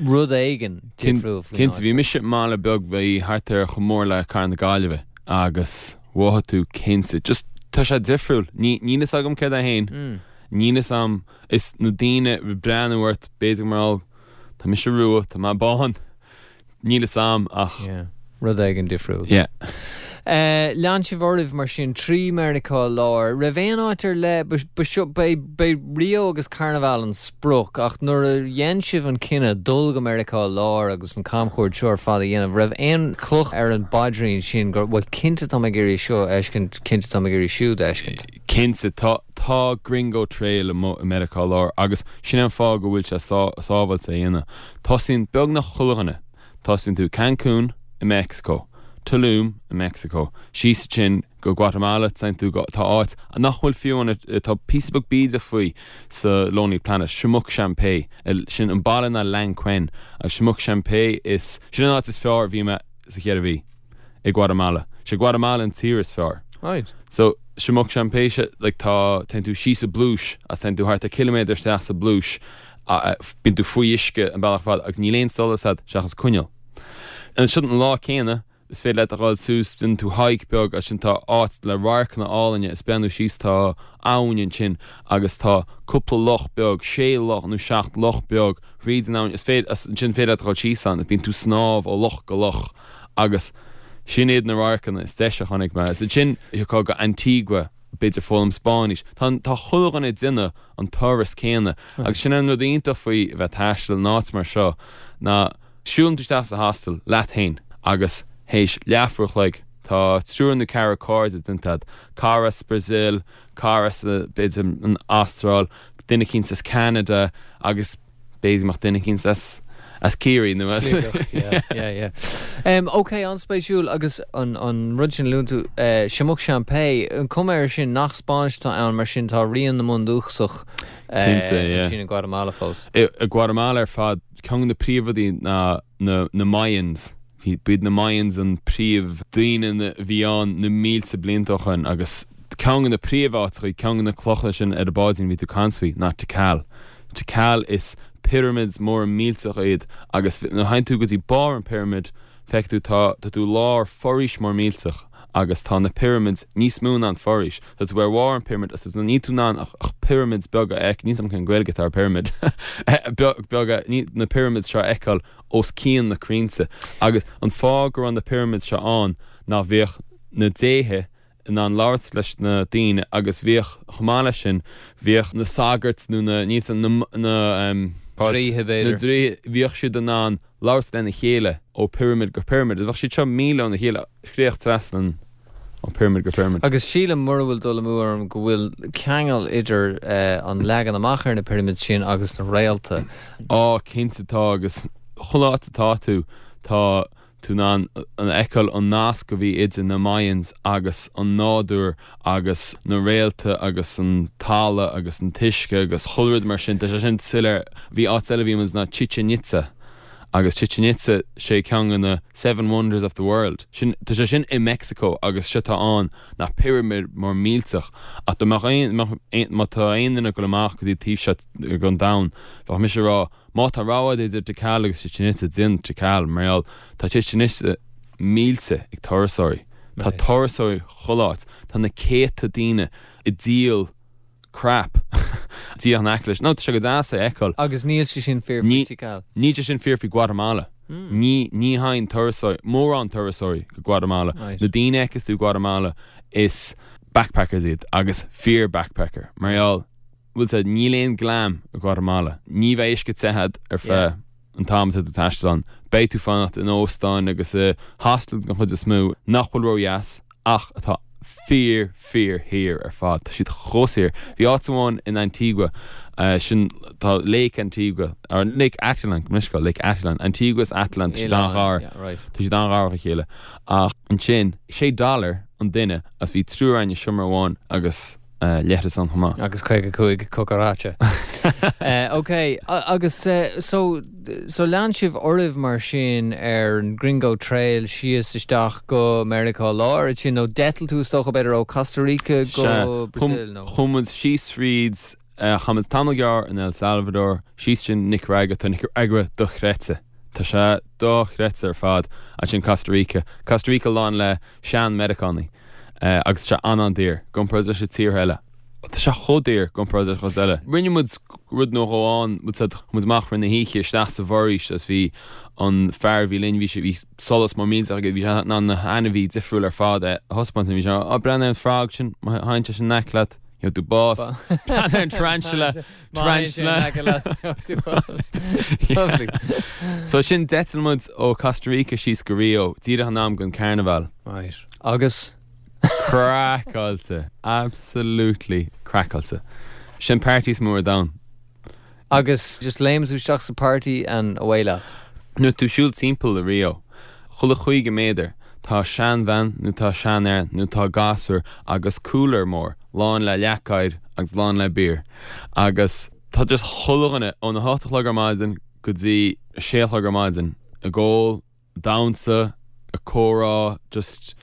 rud éigin difriúil faoin áit? Cinnte, bhí mise i mbaile beag bhí thart ar chomh mór le Cathair na Gaillimhe agus Mhothaigh tú cinnte. Just, tá sé difriúil. Ní, níl fhios agam céard é fhéin. Níl fhios a'm. Is na daoine ag breathnú ort, b'fhéidir mar gheall, tá mise rua, tá mé bán. Níl fhios a'm ach. Yeah. Rud éigin difriúil. Yeah. Lean sibh oraibh mar sin trí Meiriceá Láir. Raibh aon áit ar leith, ba, ba seo, ba é, ba é Rio agus Carnival an sprioc ach nuair a dhein sibh an cinneadh dul go Meiriceá Láir agus an camchuairt seo ar fad a dhéanamh, raibh aon chloch ar an bpaidrín sin gur, bhuel cinnte tá mé ag iarraidh seo a fheiscint, cinnte tá mé ag iarraidh siúd a fheiscint? Cinnte, tá, tá Gringo Trail amuigh i Meiriceá Láir agus sin é an fáth go bhfuil sé sábháilte a dhéanamh. Tosaíonn beagnach chuile dhuine, tosaíonn tú Cancún i Meicsiceo, Tulum i Meicsiceo, síos ansin go Guatamala, téann tú go, tá áit nach bhfuil fiú ann, tá píosa beag bídeach faoi sa Lonely Planet, Semuc Champey, sin an baile ná Lanquin, agus Semuc Champey is, sin an áit is fearr a bhí mé sa cheithre mhí, i Guatamala. Sé Guatamala an tír is fearr. Right. So, Semuc Champey, sé, like, tá, téann tú síos i bpluais, agus téann tú thart ar ciliméadar isteach sa bpluais, bíonn tú faoi uisce an bealach ar fad agus níl aon solas a'd seachas coinneal. Ansin an lá céanna, Is féidir leat a dhul suas, déanann tú hike beag, ansin tá áit le radharcanna álainne, is breathnú síos tá abhainn ansin agus tá cúpla loch beag, sé loch nó seacht loch beag thríd an abhainn, is féidir, ansin féidir leat a dhul síos ann, bíonn tú snámh ó loch go loch agus sin iad na radharcanna is deise a chonaic mé. Is ansin thiocfá go Antigua, b'fhéidir foghlaim Spáinnis. Tá, tá chuile dhuine ag déanamh an turas céanna agus sin an rud iontach faoi a bheith ag taisteal in áit mar seo ná, Siúlann tú isteach sa hostel leat féin agus théis leathuair a chloig tá triúr nó ceathrar cairde déanta agat, cara as Brazil, cara as b'fhéidir an Astráil, duine eicínt as Ceanada agus b'fhéidir go mbeadh duine eicínt as as Ciarraí nó as. Sligeach, yeah, yeah, yeah. Um, ok, an-spéisiúil agus an, an rud sin a luann tú, uh, Semuc Champey, an cuma air sin nach Spáinnis atá ann mar sin tá rian na mbundúchasach uh, Cinnte, yeah. ansin i Guatemala fós. I, i Guatemala ar fad Ceann de na príomhrudaí ná na na Mayans. Bhí, b'iad na Mayans an príomh daoine a bhí ann na mílte blianta ó shoin agus ceann de na príomh áiteachaí, ceann de na clocha sin ar an bpaidrín a bhí tú ag caint faoi ná Tikal. Tikal is pyramids móra millteacha iad agus nuair a théann tú go dtí barr an pyramid feicfidh tú tá, tá tú i lár foraois mór millteach agus tá na pyramids níos mó ná an foraois. Tá tú ar bharr an pyramid agus tá tú, níl tú in ann ach, ach pyramids beaga a fheiceáil, níl 's agam cén Gaeilge atá ar pyramid, beaga, ní, na pyramids seo a fheiceáil os cionn na crainnte. Agus an fáth go raibh na pyramids seo ann ná bhíodh na déithe in ann labhairt leis na daoine agus bhíodh, chomh maith leis sin, bhíodh na sagairt nó na, níl 's agam, na, na, em, Draoithe b'fhéidir. Na draoithe, bhíodh siad in ann labhairt lena chéile ó pyramid go pyramid. Bheadh siad seo míle óna chéile, scréach trasna an ó pyramid go pyramid. Agus sílim, mura bhfuil dul amú orm, go bhfuil ceangal idir an leagan amach ar na pyramids sin agus na réalta. Á, cinnte tá, agus chuile áit atá tú, tá tú in ann a fheiceáil an nasc a bhí idir na Mayans agus an nádúr agus na réalta agus an talamh agus an t-uisce agus chuile rud mar sin. Tá sé sin soiléir. Bhí áit eile a bhí muid ná Chichen Itza agus Chichen Itza sé ceann de na Seven Wonders of the World. Sin, tá sé sin i Mexico agus sé atá ann ná pyramid mór millteach ach dá mbeadh aon, mbeadh aon, má tá aon duine ag dul amach go dtí an taobh seo den domhan bheadh mise ag rá má tá rogha agat idir Tikal agus Chichen Itza déan Tikal mar gheall tá Chichen Itza millte ag turasóirí. Tá turasóirí chuile áit. Tá na céadta daoine ag díol crap díreach in aice leis. Nó tá sé go deas é a fheiceáil. Agus níl sé sin fíor faoi Tikal. Níl sé sin fíor faoi Guatemala. Ní, ní théann turasóirí, mórán turasóirí go Guatemala. Na daoine a fheiceas tú i Guatemala is backpackers iad agus fíor backpacker. Mar gheall. Bhfuil 's a'd, níl aon glam i Guatamala. Ní bheidh uisce te a'd ar feadh an t-am atá tú ag taisteal ann. Beidh tú fanacht in óstáin agus i hostels den chuid is mó nach bhfuil ródheas ach atá fíor, fíor shaor ar fad. Tá siad chomh saor. Bhí áit amháin in Antigua, sin, tá Lake Antigua, or Lake Atitlan, gabh mo leithscéal, Lake Atitlan, Antigua is Atitlan, tá siad an-ghar, tá siad an-ghar dá chéile. Ach ansin, sé dollar an duine agus bhí triúr againn i seomra amháin agus, leithreas ann chomh maith. Agus 55 cucaracha. Ok, agus so, so lean sibh oraibh mar sin ar an Gringo Trail síos isteach go Meiriceá Láir ansin, nó d'eitil tú is dócha b'fhéidir ó Costa Rica go Brazil nó? Chuaigh muid síos fríd, chaith muid tamall gearr in El Salvador, síos sin Nicaragua, tá Nicaragua dochreidte, tá sé dochreidte ar fad, ansin Costa Rica, Costa Rica lán le sean-Meiriceánaigh. Agus tá sé an-an-daor, i gcomparáid leis na tíortha eile. Tá sé chomh daor i gcomparáid leis an chuid eile. Rinne muid rud nó dhó ann, bhfuil 's a'd, chuaigh muid amach rith na hoíche isteach sa bhforaois agus bhí an fear a bhí linn, bhí sé, bhí solas mór millteach aige, bhí sé in ann na hainmhithe difriúil ar fad a thaispeáint dúinn. Bhí sé, á, breathnaigh ar an frog sin, má théann sé sin in aice leat, gheobhaidh tú bás. Breathnaigh ar an tarantula, tarantula. Lovely. So sin d'eitil muid ó Costa Rica síos go Rio, díreach in am don carnival. Right. Agus? Craiceáilte. Absolutely craiceáilte. Sin party is mó ar domhan. Agus just léim tú isteach sa party and away leat? Nuair tú siúl timpeall i Rio, chuile 50 méadar tá seanbhean nó tá seanfhear nó tá gasúr agus cooler mór lán le leac oighir agus lán le beer agus tá just chuile dhuine óna hocht a chlog ar maidin go dtí a sé a chlog ar maidin ag ól, damhsa, ag comhrá, just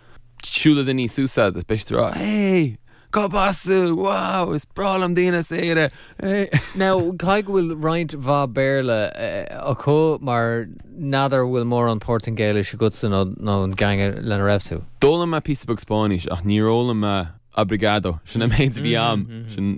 siúlfaidh daoine suas leat agus beidh siad ag rá hey! Cárb as tú? Wow! Is breá liom daoine as Éire! Hey! Now, caithfidh go bhfuil roinnt mhaith Béarla acu mar n'fheadar bhfuil mórán Portaingéilis agatsa nó nó an gang lena raibh tú. D'fhoghlaim mé píosa beag Spáinnis ach níor fhoghlaim mé obrigado. Sin an méid a bhí a'm. Sin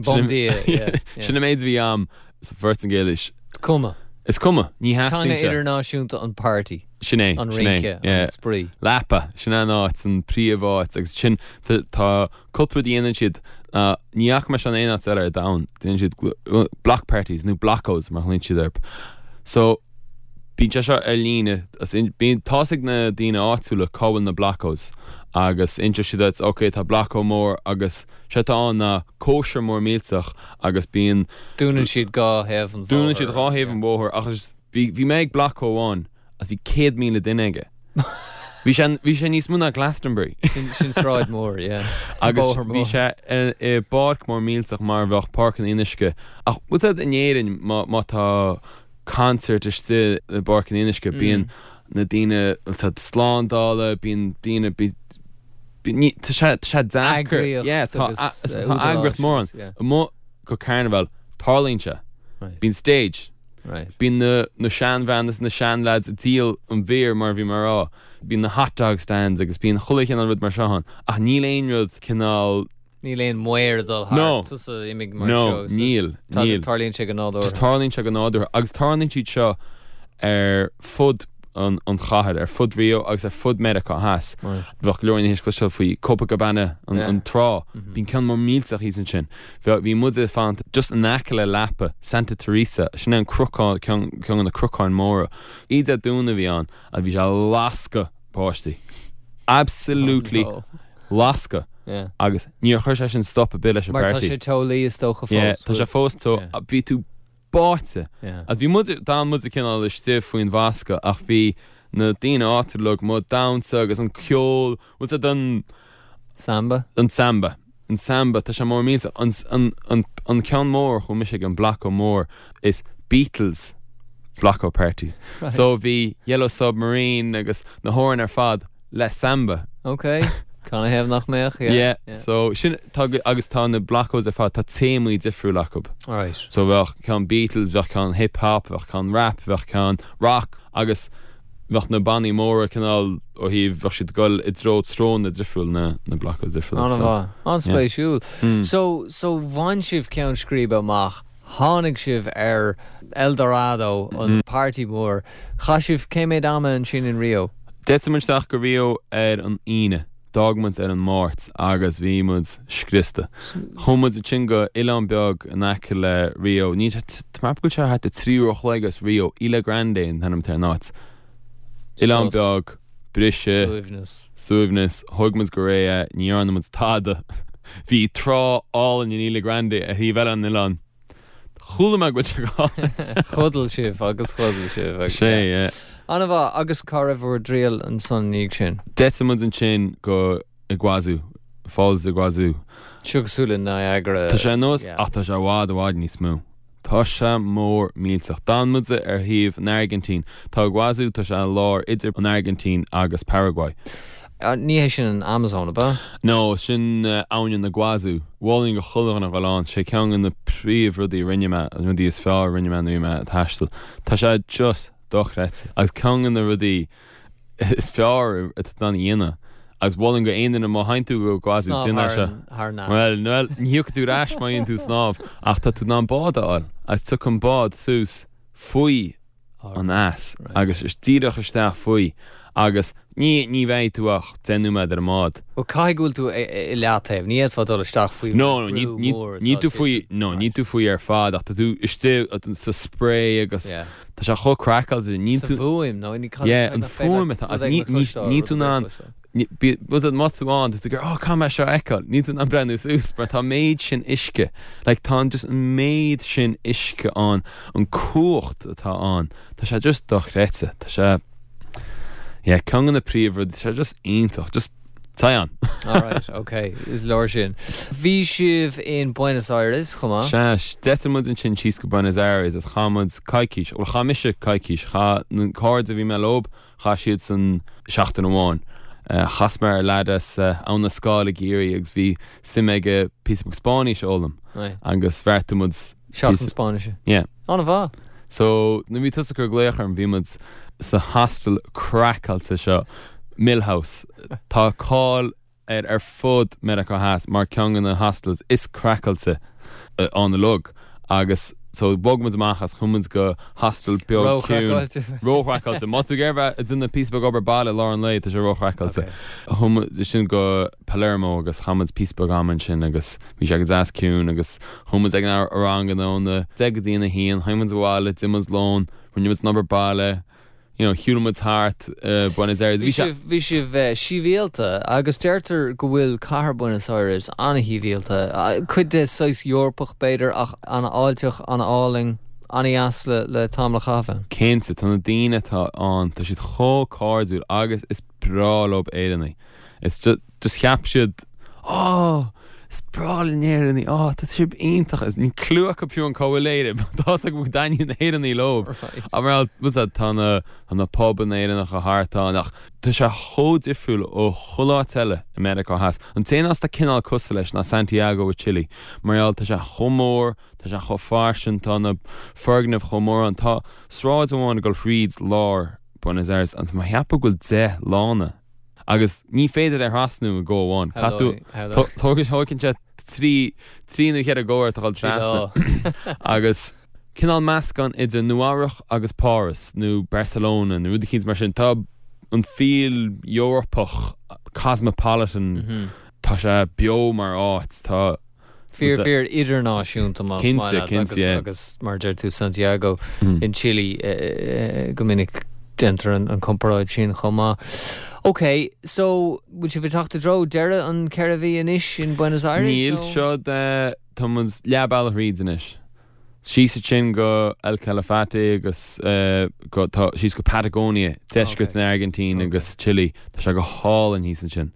Bom dia, yeah, yeah. Sin an méid a bhí a'm sa Phortaingéilis. Is cuma. Is cuma. Ní theastaíonn sé. Teanga idirnáisiúnta an party. Sin é. An rince, an spraoi. Lapa, sin an áit, an príomháit agus sin tá cúpla rud a dhéanann siad, ní fhaca mé seo in aon áit eile ar domhan, déanann siad block parties nó blocos mar a ghlaonn siad orthu. So bíonn sé seo ar líne, bíonn, tá's ag na daoine áitiúla cá bhfuil na blocos agus inseoidh siad duit, ok tá blocco mór agus sé atá ann ná cóisir mór millteach agus bíonn. Dúnann siad dhá thaobh an bhóthair. Dúnann siad dhá thaobh an bhóthair ach is bhí bhí mé ag blocco amháin agus bhí 100,000 duine aige. Bhí sé bhí sé níos mó ná Glastonbury. Sin sin sráid mór, yeah. Agus Bóthar bhí mór. sé i i bpáirc mór millteach mar a bheadh Páirc an Fhionnuisce. Ach bhfuil 's a'd in Éirinn má má tá concert istigh i bPáirc an Fhionnuisce bíonn na daoine bhfuil 's a'd slándála, bíonn daoine bí Ní, tá sé, tá sé deacair. Eagraíocht Yeah, tá, agus, tá údaráis eagraíocht mór ann. agus, yeah. Amuigh go Carnival, tarlaíonn sé. Right. Bíonn stage. Right. Bíonn na, na seanbhean is na seanleaids ag díol an bheer mar a bhí mé a rá. Bíonn na hot dog stands agus bíonn chuile chineál rud mar seo ann. Ach níl aon rud cineál. Níl aon maor ag dul thart. No. Tusa imigh mar No, seo agus níl, just níl. Tarlaíonn sé go nádúrtha. Just tarlaíonn sé go nádúrtha agus tarlaíonn siad seo ar fud an an chathair, ar fud Rio agus ar fud Meiriceá Theas. Right. Bheadh go leor daoine théis cloisteáil faoi Copacabana, an Yeah. an trá. Bíonn ceann mór millteach thíos ansin. Bhí bhí muid ag fanacht just in aice le Lapa, Santa Teresa, sin é an cnocán, ceann ceann de na cnocáin móra. Oíche Dé Domhnaigh a bhí ann agus bhí sé ag lascadh páistí. Absolutely Oh no. lascadh. Yeah. Agus níor chuir sé sin stop ar bith leis an Mar tá party. sé teolaí is dócha fós. Yeah, tá sé fós teo. Yeah. Bhí tú báite. Yeah. Agus bhí muid, d'fhan muid cineál istigh faoin bhfoscadh ach bhí na daoine áitiúla amuigh ag damhsa agus an ceol, bhfuil 's a'd an. Samba? An samba. An samba, tá sé mór millteach. An, an, an, an ceann mór, chuaigh mise ag an blocko mór, is Beatles blocko party. Right. So bhí Yellow Submarine agus na hamhráin ar fad le samba. Ok. Canathaobh nach mbeadh? Yeah. Yeah. yeah. So sin, tá, agus tá na blockos ar fad, tá téamaí difriúil acu. Right. So bheadh ceann Beatles, bheadh ceann hip hop, bheadh ceann rap, bheadh ceann rock agus bheadh na bannaí móra cineál ó thaobh, bheadh siad ag dul i dtreo treonna difriúil na, na blockos difriúla. An-mhaith. An-spéisiúil. Mm. So, so bhain sibh ceann scríbe amach, tháinig sibh ar El Dorado, an party mór. Chaith sibh cé mhéad ama ansin in Rio? D'eitil muid isteach go Rio ar an Aoine. D'fhág muid ar an Máirt agus bhí muid scriosta. Chuaigh muid ansin go oileán beag in aice le Rio. Níl sé, tá mé ag ceapadh go bhfuil sé thart ar 3 uair a chloig as Rio. Ilha Grande an t-ainm atá ar an áit. Oileán beag, briseadh. Suaimhneas. Suaimhneas. Thóg muid go réidh é, ní dhearna muid tada. Bhí trá álainn in Ilha Grande ar thaobh eile an oileáin. Chuala mé go bhfuil sé go hálainn. Chodail sibh agus chodail sibh agus. Sea, yeah. An-mhaith. Agus cá raibh bhur dtriall ansan ina dhiaidh sin? D'eitil muid ansin go Iguazu, Falls Iguazu. Seo cosúil le Niagara. Tá sé ar nós, ach tá sé i bhfad, i bhfad níos mó. Tá sé mór millteach. D'fhan muid ar thaobh an Airgintín. Tá Iguazu, tá sé i lár idir an Airgintín agus Paraguay. Ní hé sin an Amazon, ab ea? No, sin abhainn an Iguazu. Mholfainn do chuile dhuine a dhul ann. Sé ceann de na príomhrudaí a rinne mé, na rudaí is fearr a rinne mé nuair a bhí mé ag taisteal. Tá sé just dochreidte. Agus ceann de na rudaí is fearr atá tú in ann a dhéanamh. Agus mholfainn do aon duine má théann tú go Iguazu, Snámh déan é thar seo. an, thar an eas. Bhuel, bhuel, ní thiocfaidh tú ar ais má dhéanann tú snámh, ach tá tú in ann bád a fháil. Agus tiocfaidh an bád suas faoi an eas agus is díreach isteach faoi agus ní, ní bheidh tú ach 10 nóiméad ar an mbád. Bhuel, caithfidh go bhfuil tú i leataobh, ní fhéadfá dul isteach faoi No, no, ní, brú ní, mór níl atá tú faoi, titim. no, níl tú faoi ar fad ach tá tú istigh sa spré agus Yeah. tá sé chomh craiceáilte, níl Sa tú, bhfuaim, nó ní, cad, yeah, cad an nach féidir fuaim leat atá, rud agus éigin ní, a ní, chloisteáil, níl rud tú ar in bith a ann, chloisteáil. Má tá tú ann, tá tú ag oh caithfidh mé seo a fheiceáil. Níl tú in ann breathnú suas mar tá an méid sin uisce. Like tá an just an méid sin uisce ann, an cumhacht atá ann, tá sé just dochreidte. Tá sé, yeah, ceann de na príomhrudaí, tá sé just iontach, just téigh ann. Alright, ok, is leor sin. Bhí sibh in Buenos Aires chomh maith? Sea, d'eitil muid ansin síos go Buenos Aires agus chaith muid coicís, bhuel chaith mise coicís, chaith na cairde a bhí mé leob, Chaith siadsan seachtain amháin. Chas mé ar leaid as Abhainn an Scáil i gCiarraí agus bhí suim aige píosa beag Spáinnis a fhoghlaim agus bheartaigh muid Seachtain Spáinnise. Yeah. An-mhaith. So nuair a bhí tusa ag cur glaoch orm bhí muid sa hostel craiceáilte seo, Mill House. Tá cáil air ar fud Meiriceá Theas mar ceann de na hostels is craiceáilte ann uilig agus so bhog muid amach as chuaigh muid go hostel beag ciúin. Ró-chraiceáilte. Ró-chraiceáilte. Má tá tú ag iarraidh bheith ag déanamh píosa beag obair baile i lár an lae tá sé ró-chraiceáilte. Chuaigh muid ansin go Palermo agus chaith muid píosa beag ama ansin agus bhí sé go deas ciúin agus chuaigh muid ag na ranganna óna 10 go dtí a 1, tháinig muid abhaile, d'ith muid lón, rinne muid an obair baile, you know, shiúil muid thart Buenos Aires. Bhí sibh, bhí sibh sibhialta agus deirtear go bhfuil cathair Buenos Aires an-shibhialta, cuid de saghas Eorpach b'fhéidir ach an-fháilteach, an-álainn, an-dheas le, le tamall a chaitheamh ann. Cinnte, tá na daoine atá ann, tá siad chomh cairdiúil agus is breá leob Éireannaigh. It's just, just cheap siad, oh, is breá linn Éireannaigh, oh, tá sibh iontach. Is níl clue acu fiú an cá bhfuil Éire, but tá 'fhios acu go dtaitníonn Éireannaigh leob. Right. Ach mar bhfuil 'fhios a'd, tá na, tá na pubanna Éireannacha thart ann ach tá sé chomh difriúil ó chuile áit eile i Meiriceá Theas. An t-aon áit atá cineál cosúil leis ná Santiago i Chile. Mar gheall, tá sé chomh mór, tá sé chomh fairsing, tá na foirgnimh chomh mór ann. Tá sráid amháin ag dul thríd lár Buenos Aires agus tá mé a cheapadh go bhfuil 10 lána agus ní féidir é a thrasnú i go amháin. Caithfidh tú, tógann sé trí, trí nó cheithre go ort a dhul trasna. Agus cineál meascán idir Nua Eabhrac agus Páras nó Barcelona nó rud eicínt mar sin. Tá an feel Eorpach, cosmopolitan, tá sé beo mar áit, tá. Fíor fíor idirnáisiúnta más maith leat agus agus mar a deir tú Santiago in Chile go minic déantar an comparáid sin chomh maith. Ok, so bhfuil sibh ag teacht i dtreo deireadh an 4 mhí anois in Buenos Aires Níl, nó? seo tá muid leath bealach thríd anois. Síos ansin go El Calafate agus go tá síos go Patagonia, deisceart na Airgintín agus Chile. Tá sé go hálainn thíos ansin.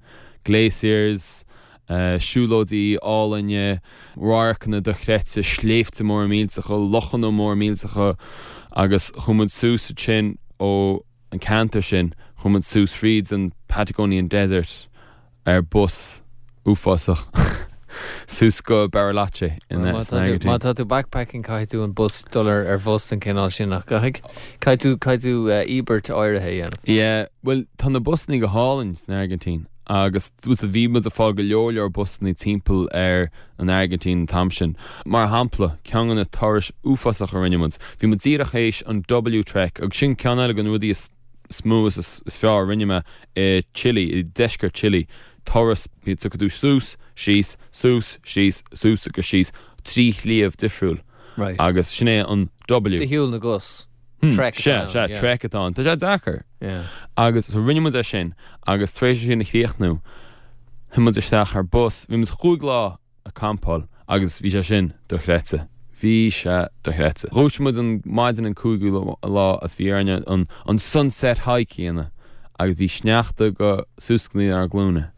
Glaciers, siúlóidí álainne, radharcanna dochreidte, sléibhte móra millteacha, lochanna móra millteacha agus chuaigh muid suas ansin ó an ceantar sin, chuaigh muid suas fríd an Patagonian Desert ar bus uafásach suas go Bariloche in san Airgintín. Má tá tú backpacking caithfidh tú an bus dul ar ar bhus den chineál sin nach gcaithfidh? Caithfidh tú caithfidh tú íobairt áirithe a dhéanamh. Yeah, bhuel tá na busannaí go hálainn san Airgintín. Agus bhí muid ag fáil go leor leor busannaí timpeall ar an Airgintín an t-am sin. Mar shampla, ceann de na turais uafásacha a rinne muid, bhí muid díreach théis an W Trek agus sin ceann eile de na rudaí is mó is is fearr a rinne mé i Chile, i deisceart Chile. turas, tiocfaidh tú suas, síos, suas, síos, suas agus síos, 3 shliabh difriúil. Right. Agus sin é an W. De shiúl na gcos. Trek atá ann. Sea, sea, trek atá ann. Tá sé deacair. Yeah. Agus so rinne muid é sin agus tar éis é sin a chríochnú, shuigh muid isteach ar bus, bhí muid chúig lá ag campáil agus bhí sé sin dochreidte. Bhí sé dochreidte. Dhúisigh muid an maidin an cúigiú lá agus bhí orainne an an sunset hike a dhéanamh agus bhí sneachta go suas go dtí ár nglúine.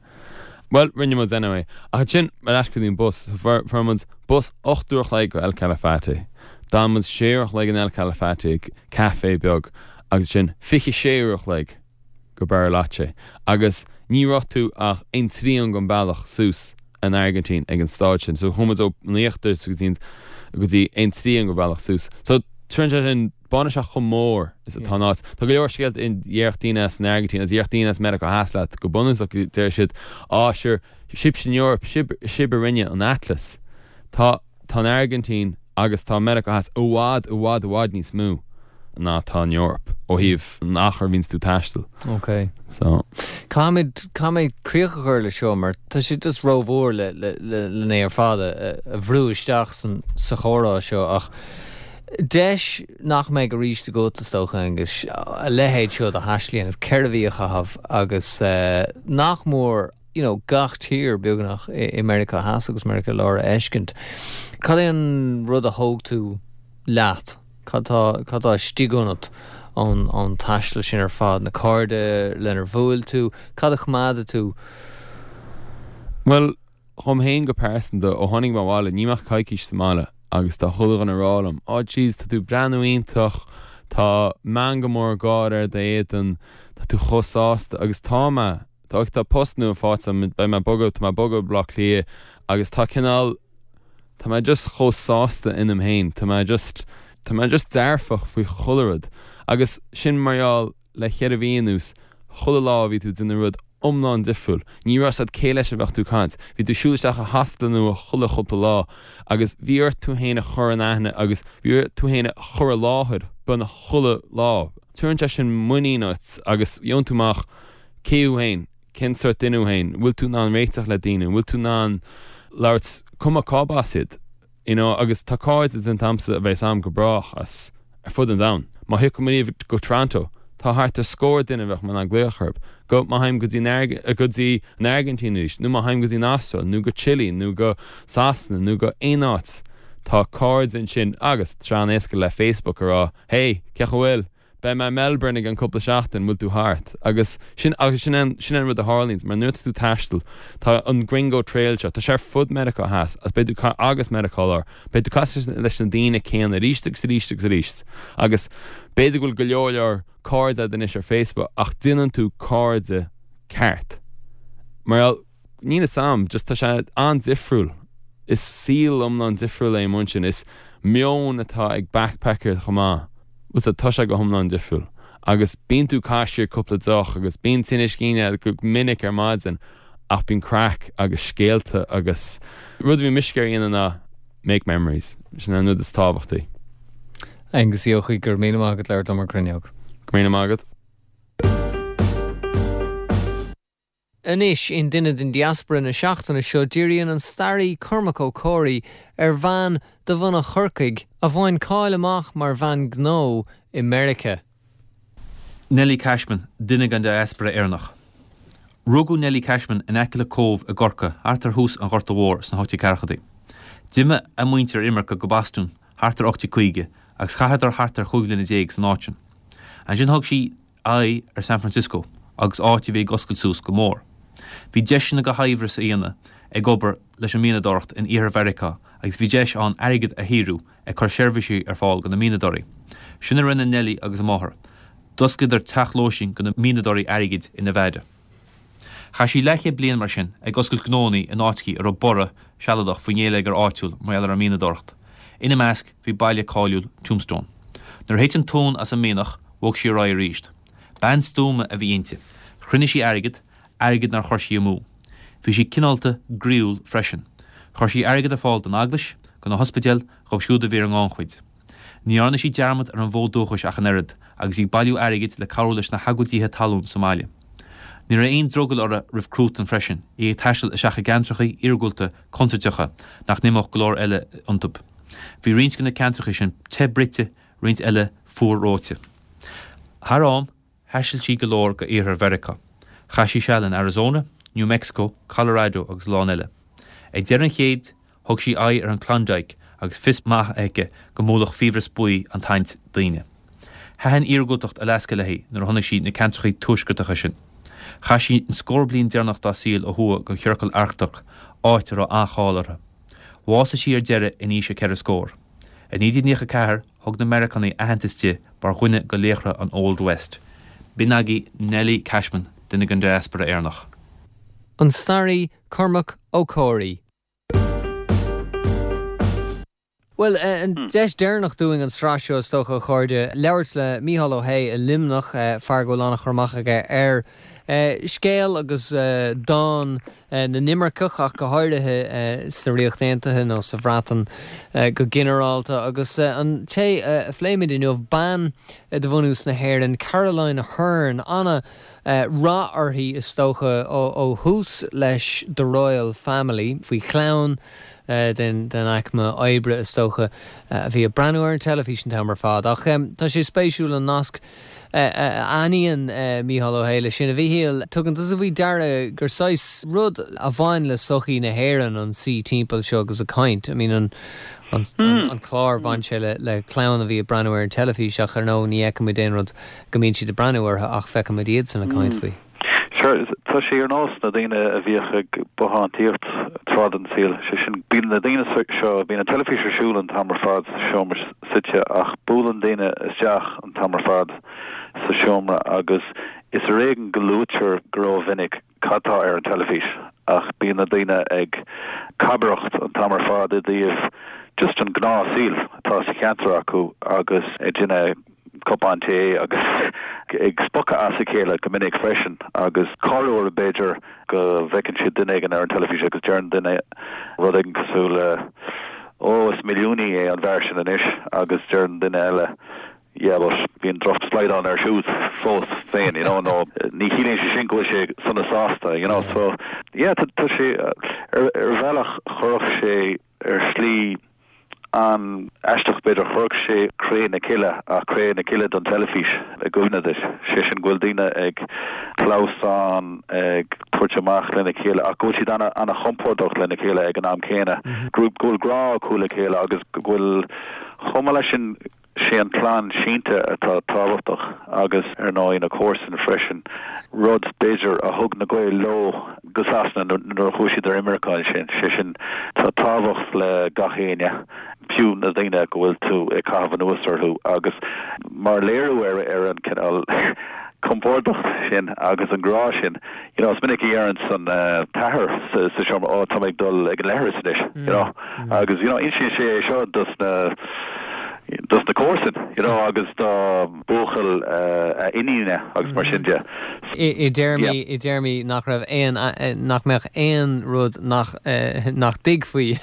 Bhuel, rinne muid anyway. Ach ansin, ar ais go dtí an bus. Fuair muid bus 8 uair a chloig go El Calafate. D'fhan muid 6 uair a chloig in El Calafate ag café beag agus ansin 26 uair a chloig go Bariloche. Agus ní raibh tú ach aon trian den bealach suas an Airgintín ag an staid sin. So chuaigh muid ó an íochtar go dtí go dtí aon trian den bhealach suas. So tugann sé sin baineann sé chomh mór is atá an áit. Tá go leor scéalta a déarfadh daoine as an Airgintín agus a déarfadh daoine as Meiriceá Theas leat go bunúsach deir siad á sure sibhse san Eoraip, sibh sibh a rinne an Atlas. Tá tá an Airgintín agus tá Meiriceá Theas i bhfad i bhfad i bhfad níos mó ná tá an Eoraip ó thaobh an achair a bhíonns tú ag taisteal. Ok. So. Caithfimid caithfidh mé críoch a chur le seo mar tá sé just rómhór le le le len é ar fad a a bhrú isteach san sa chomhrá seo ach Deis nach mbeidh arís agat, is dócha, Aengus, a leithéid seo de thaisteal a dhéanamh, 4 mhí a chaitheamh agus nach mór you know gach tír, beagnach, i Meiriceá Theas agus Meiriceá Láir a fheiscint. Cad é an rud a thóg tú leat? Cad tá, cad tá istigh ionat ón, ón taisteal sin ar fad? Na cairde lenar bhuail tú? Cad a choimeádfaidh tú? Bhuel, Dhom féin go pearsanta, ó tháinig mé abhaile, níl mé ach coicís sa mbaile agus tá chuile dhuine ag rá liom, oh jeez, tá tú ag breathnú iontach, tá meangadh mór gáire ar d'éadan, tá tú chomh sásta agus tá mé, tá, tá post nua faighte agam, beidh mé ag bogadh, tá mé ag bogadh go Baile Átha Cliath agus tá cineál, tá mé just chomh sásta ionam féin, tá mé just, tá mé just dearfach faoi chuile rud agus sin mar gheall le cheithre mhí anuas, chuile lá bhí tú ag déanamh rud iomlán difriúil. Ní raibh 's agat cé leis a bheadh tú ag caint. Bhí tú ag siúl isteach i hostel nua chuile chúpla lá agus bhí ort tú féin a chur in aithne agus bhí ort tú féin a chur i láthair beagnach chuile lá. Tugann sé sin muinín duit agus gheobhann tú amach cé thú féin, cén sórt duine thú féin, an bhfuil tú in ann réiteach le daoine, an bhfuil tú in ann labhairt cuma cárb as iad. You know, agus tá cairde déanta agamsa a bheas a'm go brách as ar fud an domhain. Má thiocfaidh mé ariamh go Toronto, tá thart ar scór duine a bheadh mé in ann glaoch orthu. Go, má théim go dtí an go dtí an Airgintín arís, nó má théim go dtí an Astráil, nó go Chile, nó go Sasana, nó go aon áit, tá cairde ansin agus tá sé an-éasca le Facebook a rá, hey, cén chaoi a bhfuil? Beidh mé i Melbourne i gceann cúpla seachtain, bhfuil tú thart? Agus sin, agus sin é, sin é an rud a tharlaíonns, mar nuair atá tú ag taisteal, tá an Gringo Trail seo, tá sé ar fud Meiriceá Theas, agus beidh tú, agus Meiriceá Láir, beidh tú ag casadh leis na daoine céanna arís agus arís agus arís. Agus b'fhéidir go bhfuil go leor leor cairde agat anois ar Facebook, ach déanann tú cairde ceart. Mar gheall, Níl fhios a'm, just tá sé an-difriúil. Is saol iomlán difriúil é amuigh ansin. Is meon atá ag backpacker chomh maith. Bhfuil 's a'd, tá sé go hiomlán difriúil. Agus bíonn tú ag caitheamh siar cúpla deoch agus bíonn tinneas cinn agat go minic ar maidin ach bíonn craic agus scéalta agus rud a bhí mise ag iarraidh a dhéanamh ná make memories. Sin an rud is tábhachtaí. Aengus Ó hEochaidh, go raibh míle maith agat labhairt liom ar Cruinneog. Go raibh míle maith agat. Anois, in Duine den Diaspora na seachtaine seo, díríonn an staraí Cormac Ó Comhraí ar bhean de bhunadh Chorcaigh a bhain cáil amach mar bhean gnó i Meiriceá. Nellie Cashman, duine den diaspora Éireannach. Rugadh Nellie Cashman in aice le Cóbh i gCorcaigh thart ar thús an Ghorta Mhóir sna 1840idí. D'imigh a muintir ar imirce go Bostún thart ar 1850 agus chaitheadar thart ar chúig bhliana déag san áit sin. Ansin thug sí aghaidh ar San Francisco agus áit a bhí ag oscailt suas go mór. Bhí deiseanna go shaibhreas a dhéanamh ag obair leis an mianadóireacht in iarthar Mheiriceá agus bhí deis ann airgead a shaothrú ag cur seirbhísí ar fáil do na mianadóirí. Sin a rinne Nellie agus a máthair. D'osclaíodar teach lóistín do na mianadóirí airgid i Nevada. Chaith sí leathchéad bliain mar sin ag oscailt gnónnaí in áiteachaí a raibh borradh sealadach faoin ngéilleagar áitiúil mar gheall ar an mianadóireacht. Ina measc bhí baile cáiliúil Tombstone. Nuair a thit an tóin as an mianach, bhog sí ar aghaidh arís. Bean stuama a bhí inti. Chruinnigh sí airgead, airgead nár chuir sí amú. Bhí sí cineálta, groíúil freisin. Chuir sí airgead ar fáil don eaglais, do na hospidéil, dhóibh siúd a bhí ar an ngannchuid. Ní dhearna sí dearmad ar an bhfód dúchais ach an oiread, agus í ag bailiú airgid le cabhrú leis na hagóidithe talún sa mbaile. Ní raibh aon drogall uirthi roimh cruatan freisin, í ag taisteal isteach i gceantracha iargúlta contúirteacha nach n-imeodh go leor eile iontu. Bhí roinnt de na ceantracha sin te bruite, roinnt eile fuar reoite. Thar am, thaistil sí go leor go iarthar Mheiriceá. Chaith sí seal in Arizona, New Mexico, Colorado agus a lán eile. Ag deireadh an chéid, Thug sí aghaidh ar an Klondike agus fios maith aici go mbuailfeadh fiabhras buí an tsaint daoine. Thaitin iargúltacht Alaska léi nuair a chonaic sí na ceantracha tuaisceartacha sin. Chaith sí an scór bliain deireanach dá saol ó thuaidh den Chiorcal Arctach, áit a raibh an-cháil uirthi. Bhásaigh sí ar deireadh in aois a ceithre scór. I 1994 thug na Meiriceánaigh aitheantas di mar dhuine de laochra an Old West. B'in agaibh Nellie Cashman, duine den diaspora Éireannach. An staraí Cormac Ó Comhraí. Bhuel, an deis deireanach dúinn an tsraith seo, is dócha, a chairde, labhairt le Mícheál Ó hAodha i Luimneach, fear go bhfuil an-chur amach aige ar scéal agus dán na n-imirceach, ach go háirithe sa Ríocht Aontaithe nó sa Bhreatain go ginearálta. Agus an té a phléimid inniu, bean de bhunús na hÉireann, Caroline Aherne, ana rath uirthi, is dócha, ó thús leis The Royle Family, faoi chlann den aicme oibre, is dócha, a bhí ag breathnú ar an teilifís an t-am ar fad. Ach tá sé spéisiúil an nasc a aithníonn Mícheál Ó hAodha leis sin. A Mhíchíl, tugann tusa faoi deara gur saghas rud a bhain le sochaí na hÉireann an suí timpeall seo agus ag caint. I mean, an an clár, bhain sé le clann a bhí ag breathnú ar an teilifís ach ar ndóigh ní fheicimid aon rud go mbíonn siad ag breathnú orthu ach feicimid iadsan ag caint faoi. Sure, tá sé ar nós na daoine a bhíodh ag bothántaíocht tráth den saol, sé sin, bíonn na daoine seo, bíonn an teilifís ar siúl an t-am ar fad sa seomra suite ach buaileann daoine isteach an t-am ar fad sa seomra agus is ar éigean go luaitear go rómhinic cad tá ar an teilifís ach bíonn na daoine ag cabaireacht an t-am ar fad i dtaobh just an gnáthshaoil atá sa cheantar acu agus ag déanamh cupán tae agus ag spochadh as a chéile go minic freisin agus corruair b'fhéidir go bhfeiceann siad duine éigin ar an teilifís agus deireann duine rud éigin cosúil le 'Ó, is milliúnaí é an fear sin anois' agus deireann duine eile 'Yeah, but bíonn droch-slaghdán air siúd fós féin', you know, nó 'Ní chiallaíonn sé sin go bhfuil sé sona sásta', you know. So, yeah, tá sé, ar bhealach chuirfeadh sé ar shlí an-aisteach, b'fhéidir, chuirfeadh sé Cré na Cille, ach Cré na Cille don teilifís, i gcuimhne duit. Sé sin go bhfuil daoine ag clamhsán, ag tabhairt amach lena chéile, ach go bhfuil siad an-chompordach lena chéile ag an am céanna, go bhfuil grá acu le chéile agus go bhfuil, chomh maith leis sin, Sé an clann sínte atá tábhachtach agus ar ndóigh na comharsain freisin, rud, b'fhéidir, a thug na Gaeil leo go Sasana nuair a chuaigh siad ar imirce ansin. Sé sin, tá tábhacht le gach éinne, fiú na daoine go bhfuil tú ag caitheamh anuas orthu agus mar léiriú ar an cineál compordach sin agus an grá sin, you know, is minic a dheireanns an t-athair sa seomra, oh, tá mé ag dul ag an leithreas anois, you know, agus, you know, insíonn sé é seo dos na, dos na comharsain, you know, agus do bhuachaill a iníne agus mar sin de. I dtéarmaí, i dtéarmaí nach raibh aon, nach mbeadh aon rud nach, nach dtuigfí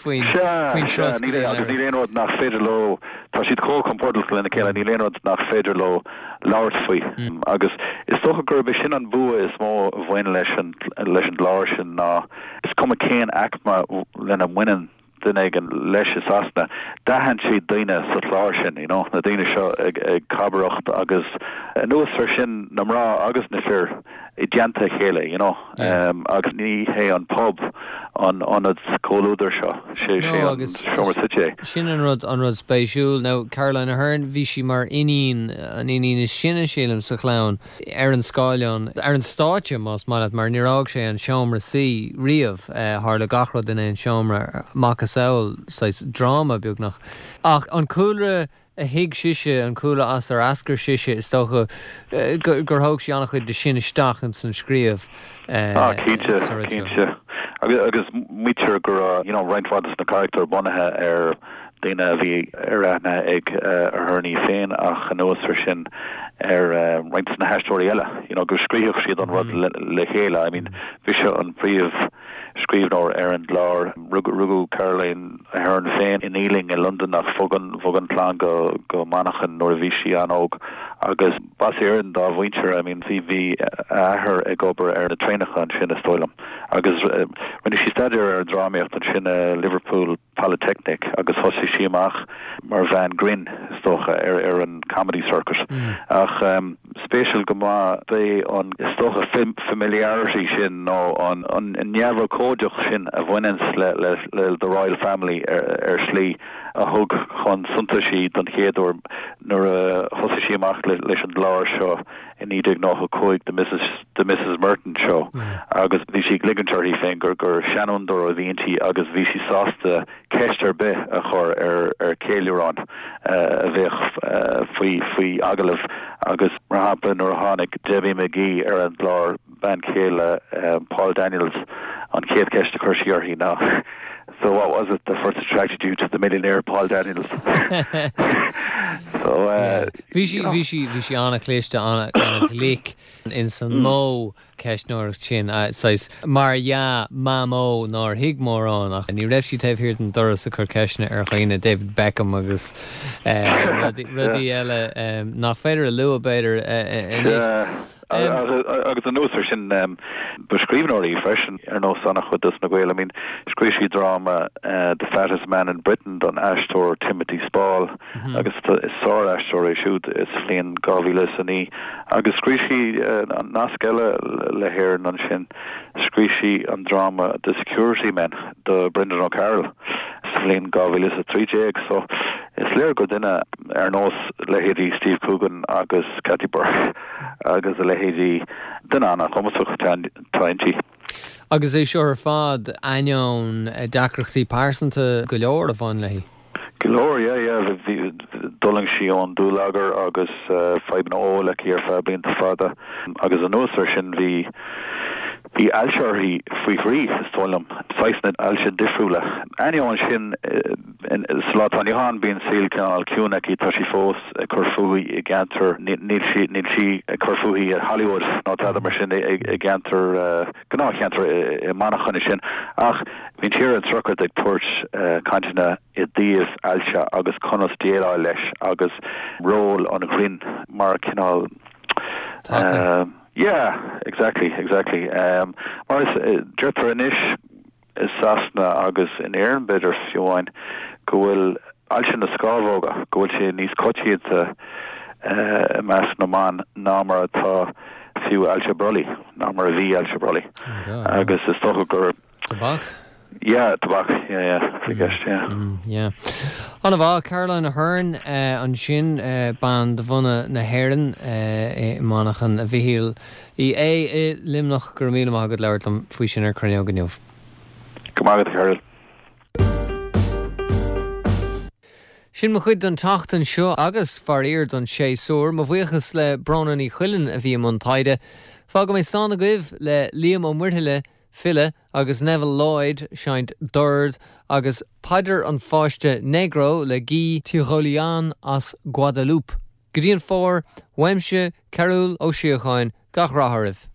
faoin, faoin turas go dtí an leithreas. Níl aon rud nach féidir leo, tá siad chomh compordach lena chéile, níl aon rud nach féidir leo labhairt faoi. Agus is dócha gurb é sin an bua is mó a bhain leis an leis an gclár sin ná is cuma cén aicme lena mbaineann duine éigin leis i Sasana, d'aithin siad daoine sa chlár sin, you know, na daoine seo ag ag cabaireacht agus anuas ar sin na mná agus na fir i dteannta a chéile, you know, agus ní hé an pub an ionad comhluadair seo, sé sé an seomra suite é. Sin an rud, an rud spéisiúil. Now, Caroline Aherne, bhí sí mar iníon, an iníon is sine, sílim, sa chlann, ar an scáileán, ar an stáitse, más maith leat, mar níor fhág sé an seomra suí riamh. Tharla gach rud in aon seomra, macasamhail saghas dráma, beagnach. Ach an cúlra a thuig sise, an cúlra as ar eascair sise, is dócha gur thóg sí an-chuid de sin isteach ins an scríobh Ah, cinnte, sa rud seo. cinnte. Agus, agus maítear go raibh, you know, roinnt mhaith de na carachtair bunaithe ar daoine a bhí ar aithne ag Aherne í féin ach anuas ar sin ar roinnt de na haisteoirí eile, you know, go scríobhadh siad an rud le, le chéile. I mean, b'ise an príomh. scríbhneoir ar an gclár. Rugadh Caroline Aherne féin in Ealing i Londain ach bhog an bhog an chlann go go Manchain nuair a bhí sí an-óg agus b'as Éirinn dá mhuintir. I mean bhí bhí a athair ag obair ar na traenacha ansin is dóigh liom agus rinne sí staidéar ar an drámaíocht ansin i Liverpool Polytechnic agus thosaigh sí amach mar bhean grinn, is dócha, ar ar an comedy circuit. Ach spéisiúil go maith b'é an, is dócha, familiarity sin nó an an neamhurchóideacht sin a bhaineanns le le le the Royal Family ar ar shlí a thug chun suntais í don chéad uair nuair a thosaigh sí amach leis an gclár seo i 1995, The Missus The Missus Merton Show, agus bhí sí ag ligint uirthi féin gur gur seanfhondúir a bhí inti agus bhí sí sásta ceist ar bith a chur ar ar cheiliúrán a bheadh faoi faoi agallamh agus mar shampla nuair a tháinig Debbie McGee ar an gclár, bean chéile Paul Daniels, an chéad cheist a chuir sí uirthi ná So what was it that first attracted you to the millionaire Paul Daniels? So uh, Bhí sí bhí sí bhí sí an-chliste an-ghlic in san modh ceistneoireacht sin saghas mar dhea mamó nár thuig mórán ach ní raibh sí taobh thiar den doras ag cur ceisteanna ar dhaoine, David Beckham agus rudaí eile nach féidir a lua b'fhéidir anois. Agus anuas air sin, ba scríbhneoir í freisin, ar nós an-chuid dos na Gaeil. I mean, scríobh sí dráma The Fattest Man in Britain don aisteoir Timothy Spall agus is sár-aisteoir é siúd, sa bhliain 2009. Agus scríobh sí nasc eile le hÉirinn ansin, scríobh sí an dráma The Security Men do Brendan O'Carroll sa bhliain 2013. So, is léir gur duine ar nós leithéidí Steve Coogan agus Kathy Burke, agus a leithéidí, duine an-chumasach atá inti. Agus é seo ar fad ainneoin deacrachtaí pearsanta go leor a bhain léi. Go leor, yeah, yeah. Bhí, d'fhulaing sí ón dúlagar agus fadhbanna óil aici ar feadh blianta fada agus anuas air sin bhí, bhí ailse uirthi faoi thrí, is dóigh liom, saghsanna ailse difriúla. Ainneoin sin, Sa lá atá inniu ann, bíonn saol cineál ciúin aici, tá sí fós ag cur fúithi i gceantar, níl sí, níl sí ag cur fúithi i Hollywood ná tada mar sin, i gceantar, gnáthcheantar i Manchain ansin. Ach bíonn sí ar an tsochraid ag tabhairt cainteanna i dtaobh ailse agus conas déileáil leis agus ról an ghrinn mar cineál. Taca. Yeah, exactly, exactly. Mar is, deirtear anois, i Sasana agus in Éirinn b'fhéidir fiú amháin, go bhfuil ailse na scámhóga, go bhfuil sé níos coitianta i measc na mban ná mar atá fiú ailse brollaigh, ná mar a bhí ailse brollaigh. Agus is dócha gur. Tobac? Yeah, tobac, yeah, yeah, i gceist, yeah. Yeah. An-mhaith, Caroline Aherne ansin, bean de bhunadh na hÉireann i Manchain, a Mhichíl. Uí Aodha i Luimneach, go raibh míle maith agat labhairt liom faoi sin ar Cruinneog inniu. Go raibh maith agat, a Chearbhaill. Sin mo chuid don tseachtain seo agus, faraor, don séasúr. Mo bhuíochas le Bróna Ní Chuilinn a bhí i mbun taighde. Fágfaidh mé slán agaibh le Liam Ó Muirthile, file, agus Neville Lloyd, seinnt dord, agus Paidir an Pháiste Negro le Guy Tirolien as Guadeloupe. Go dtí an fómhar, uaimse, Cearbhall Ó Síocháin, gach rath oraibh.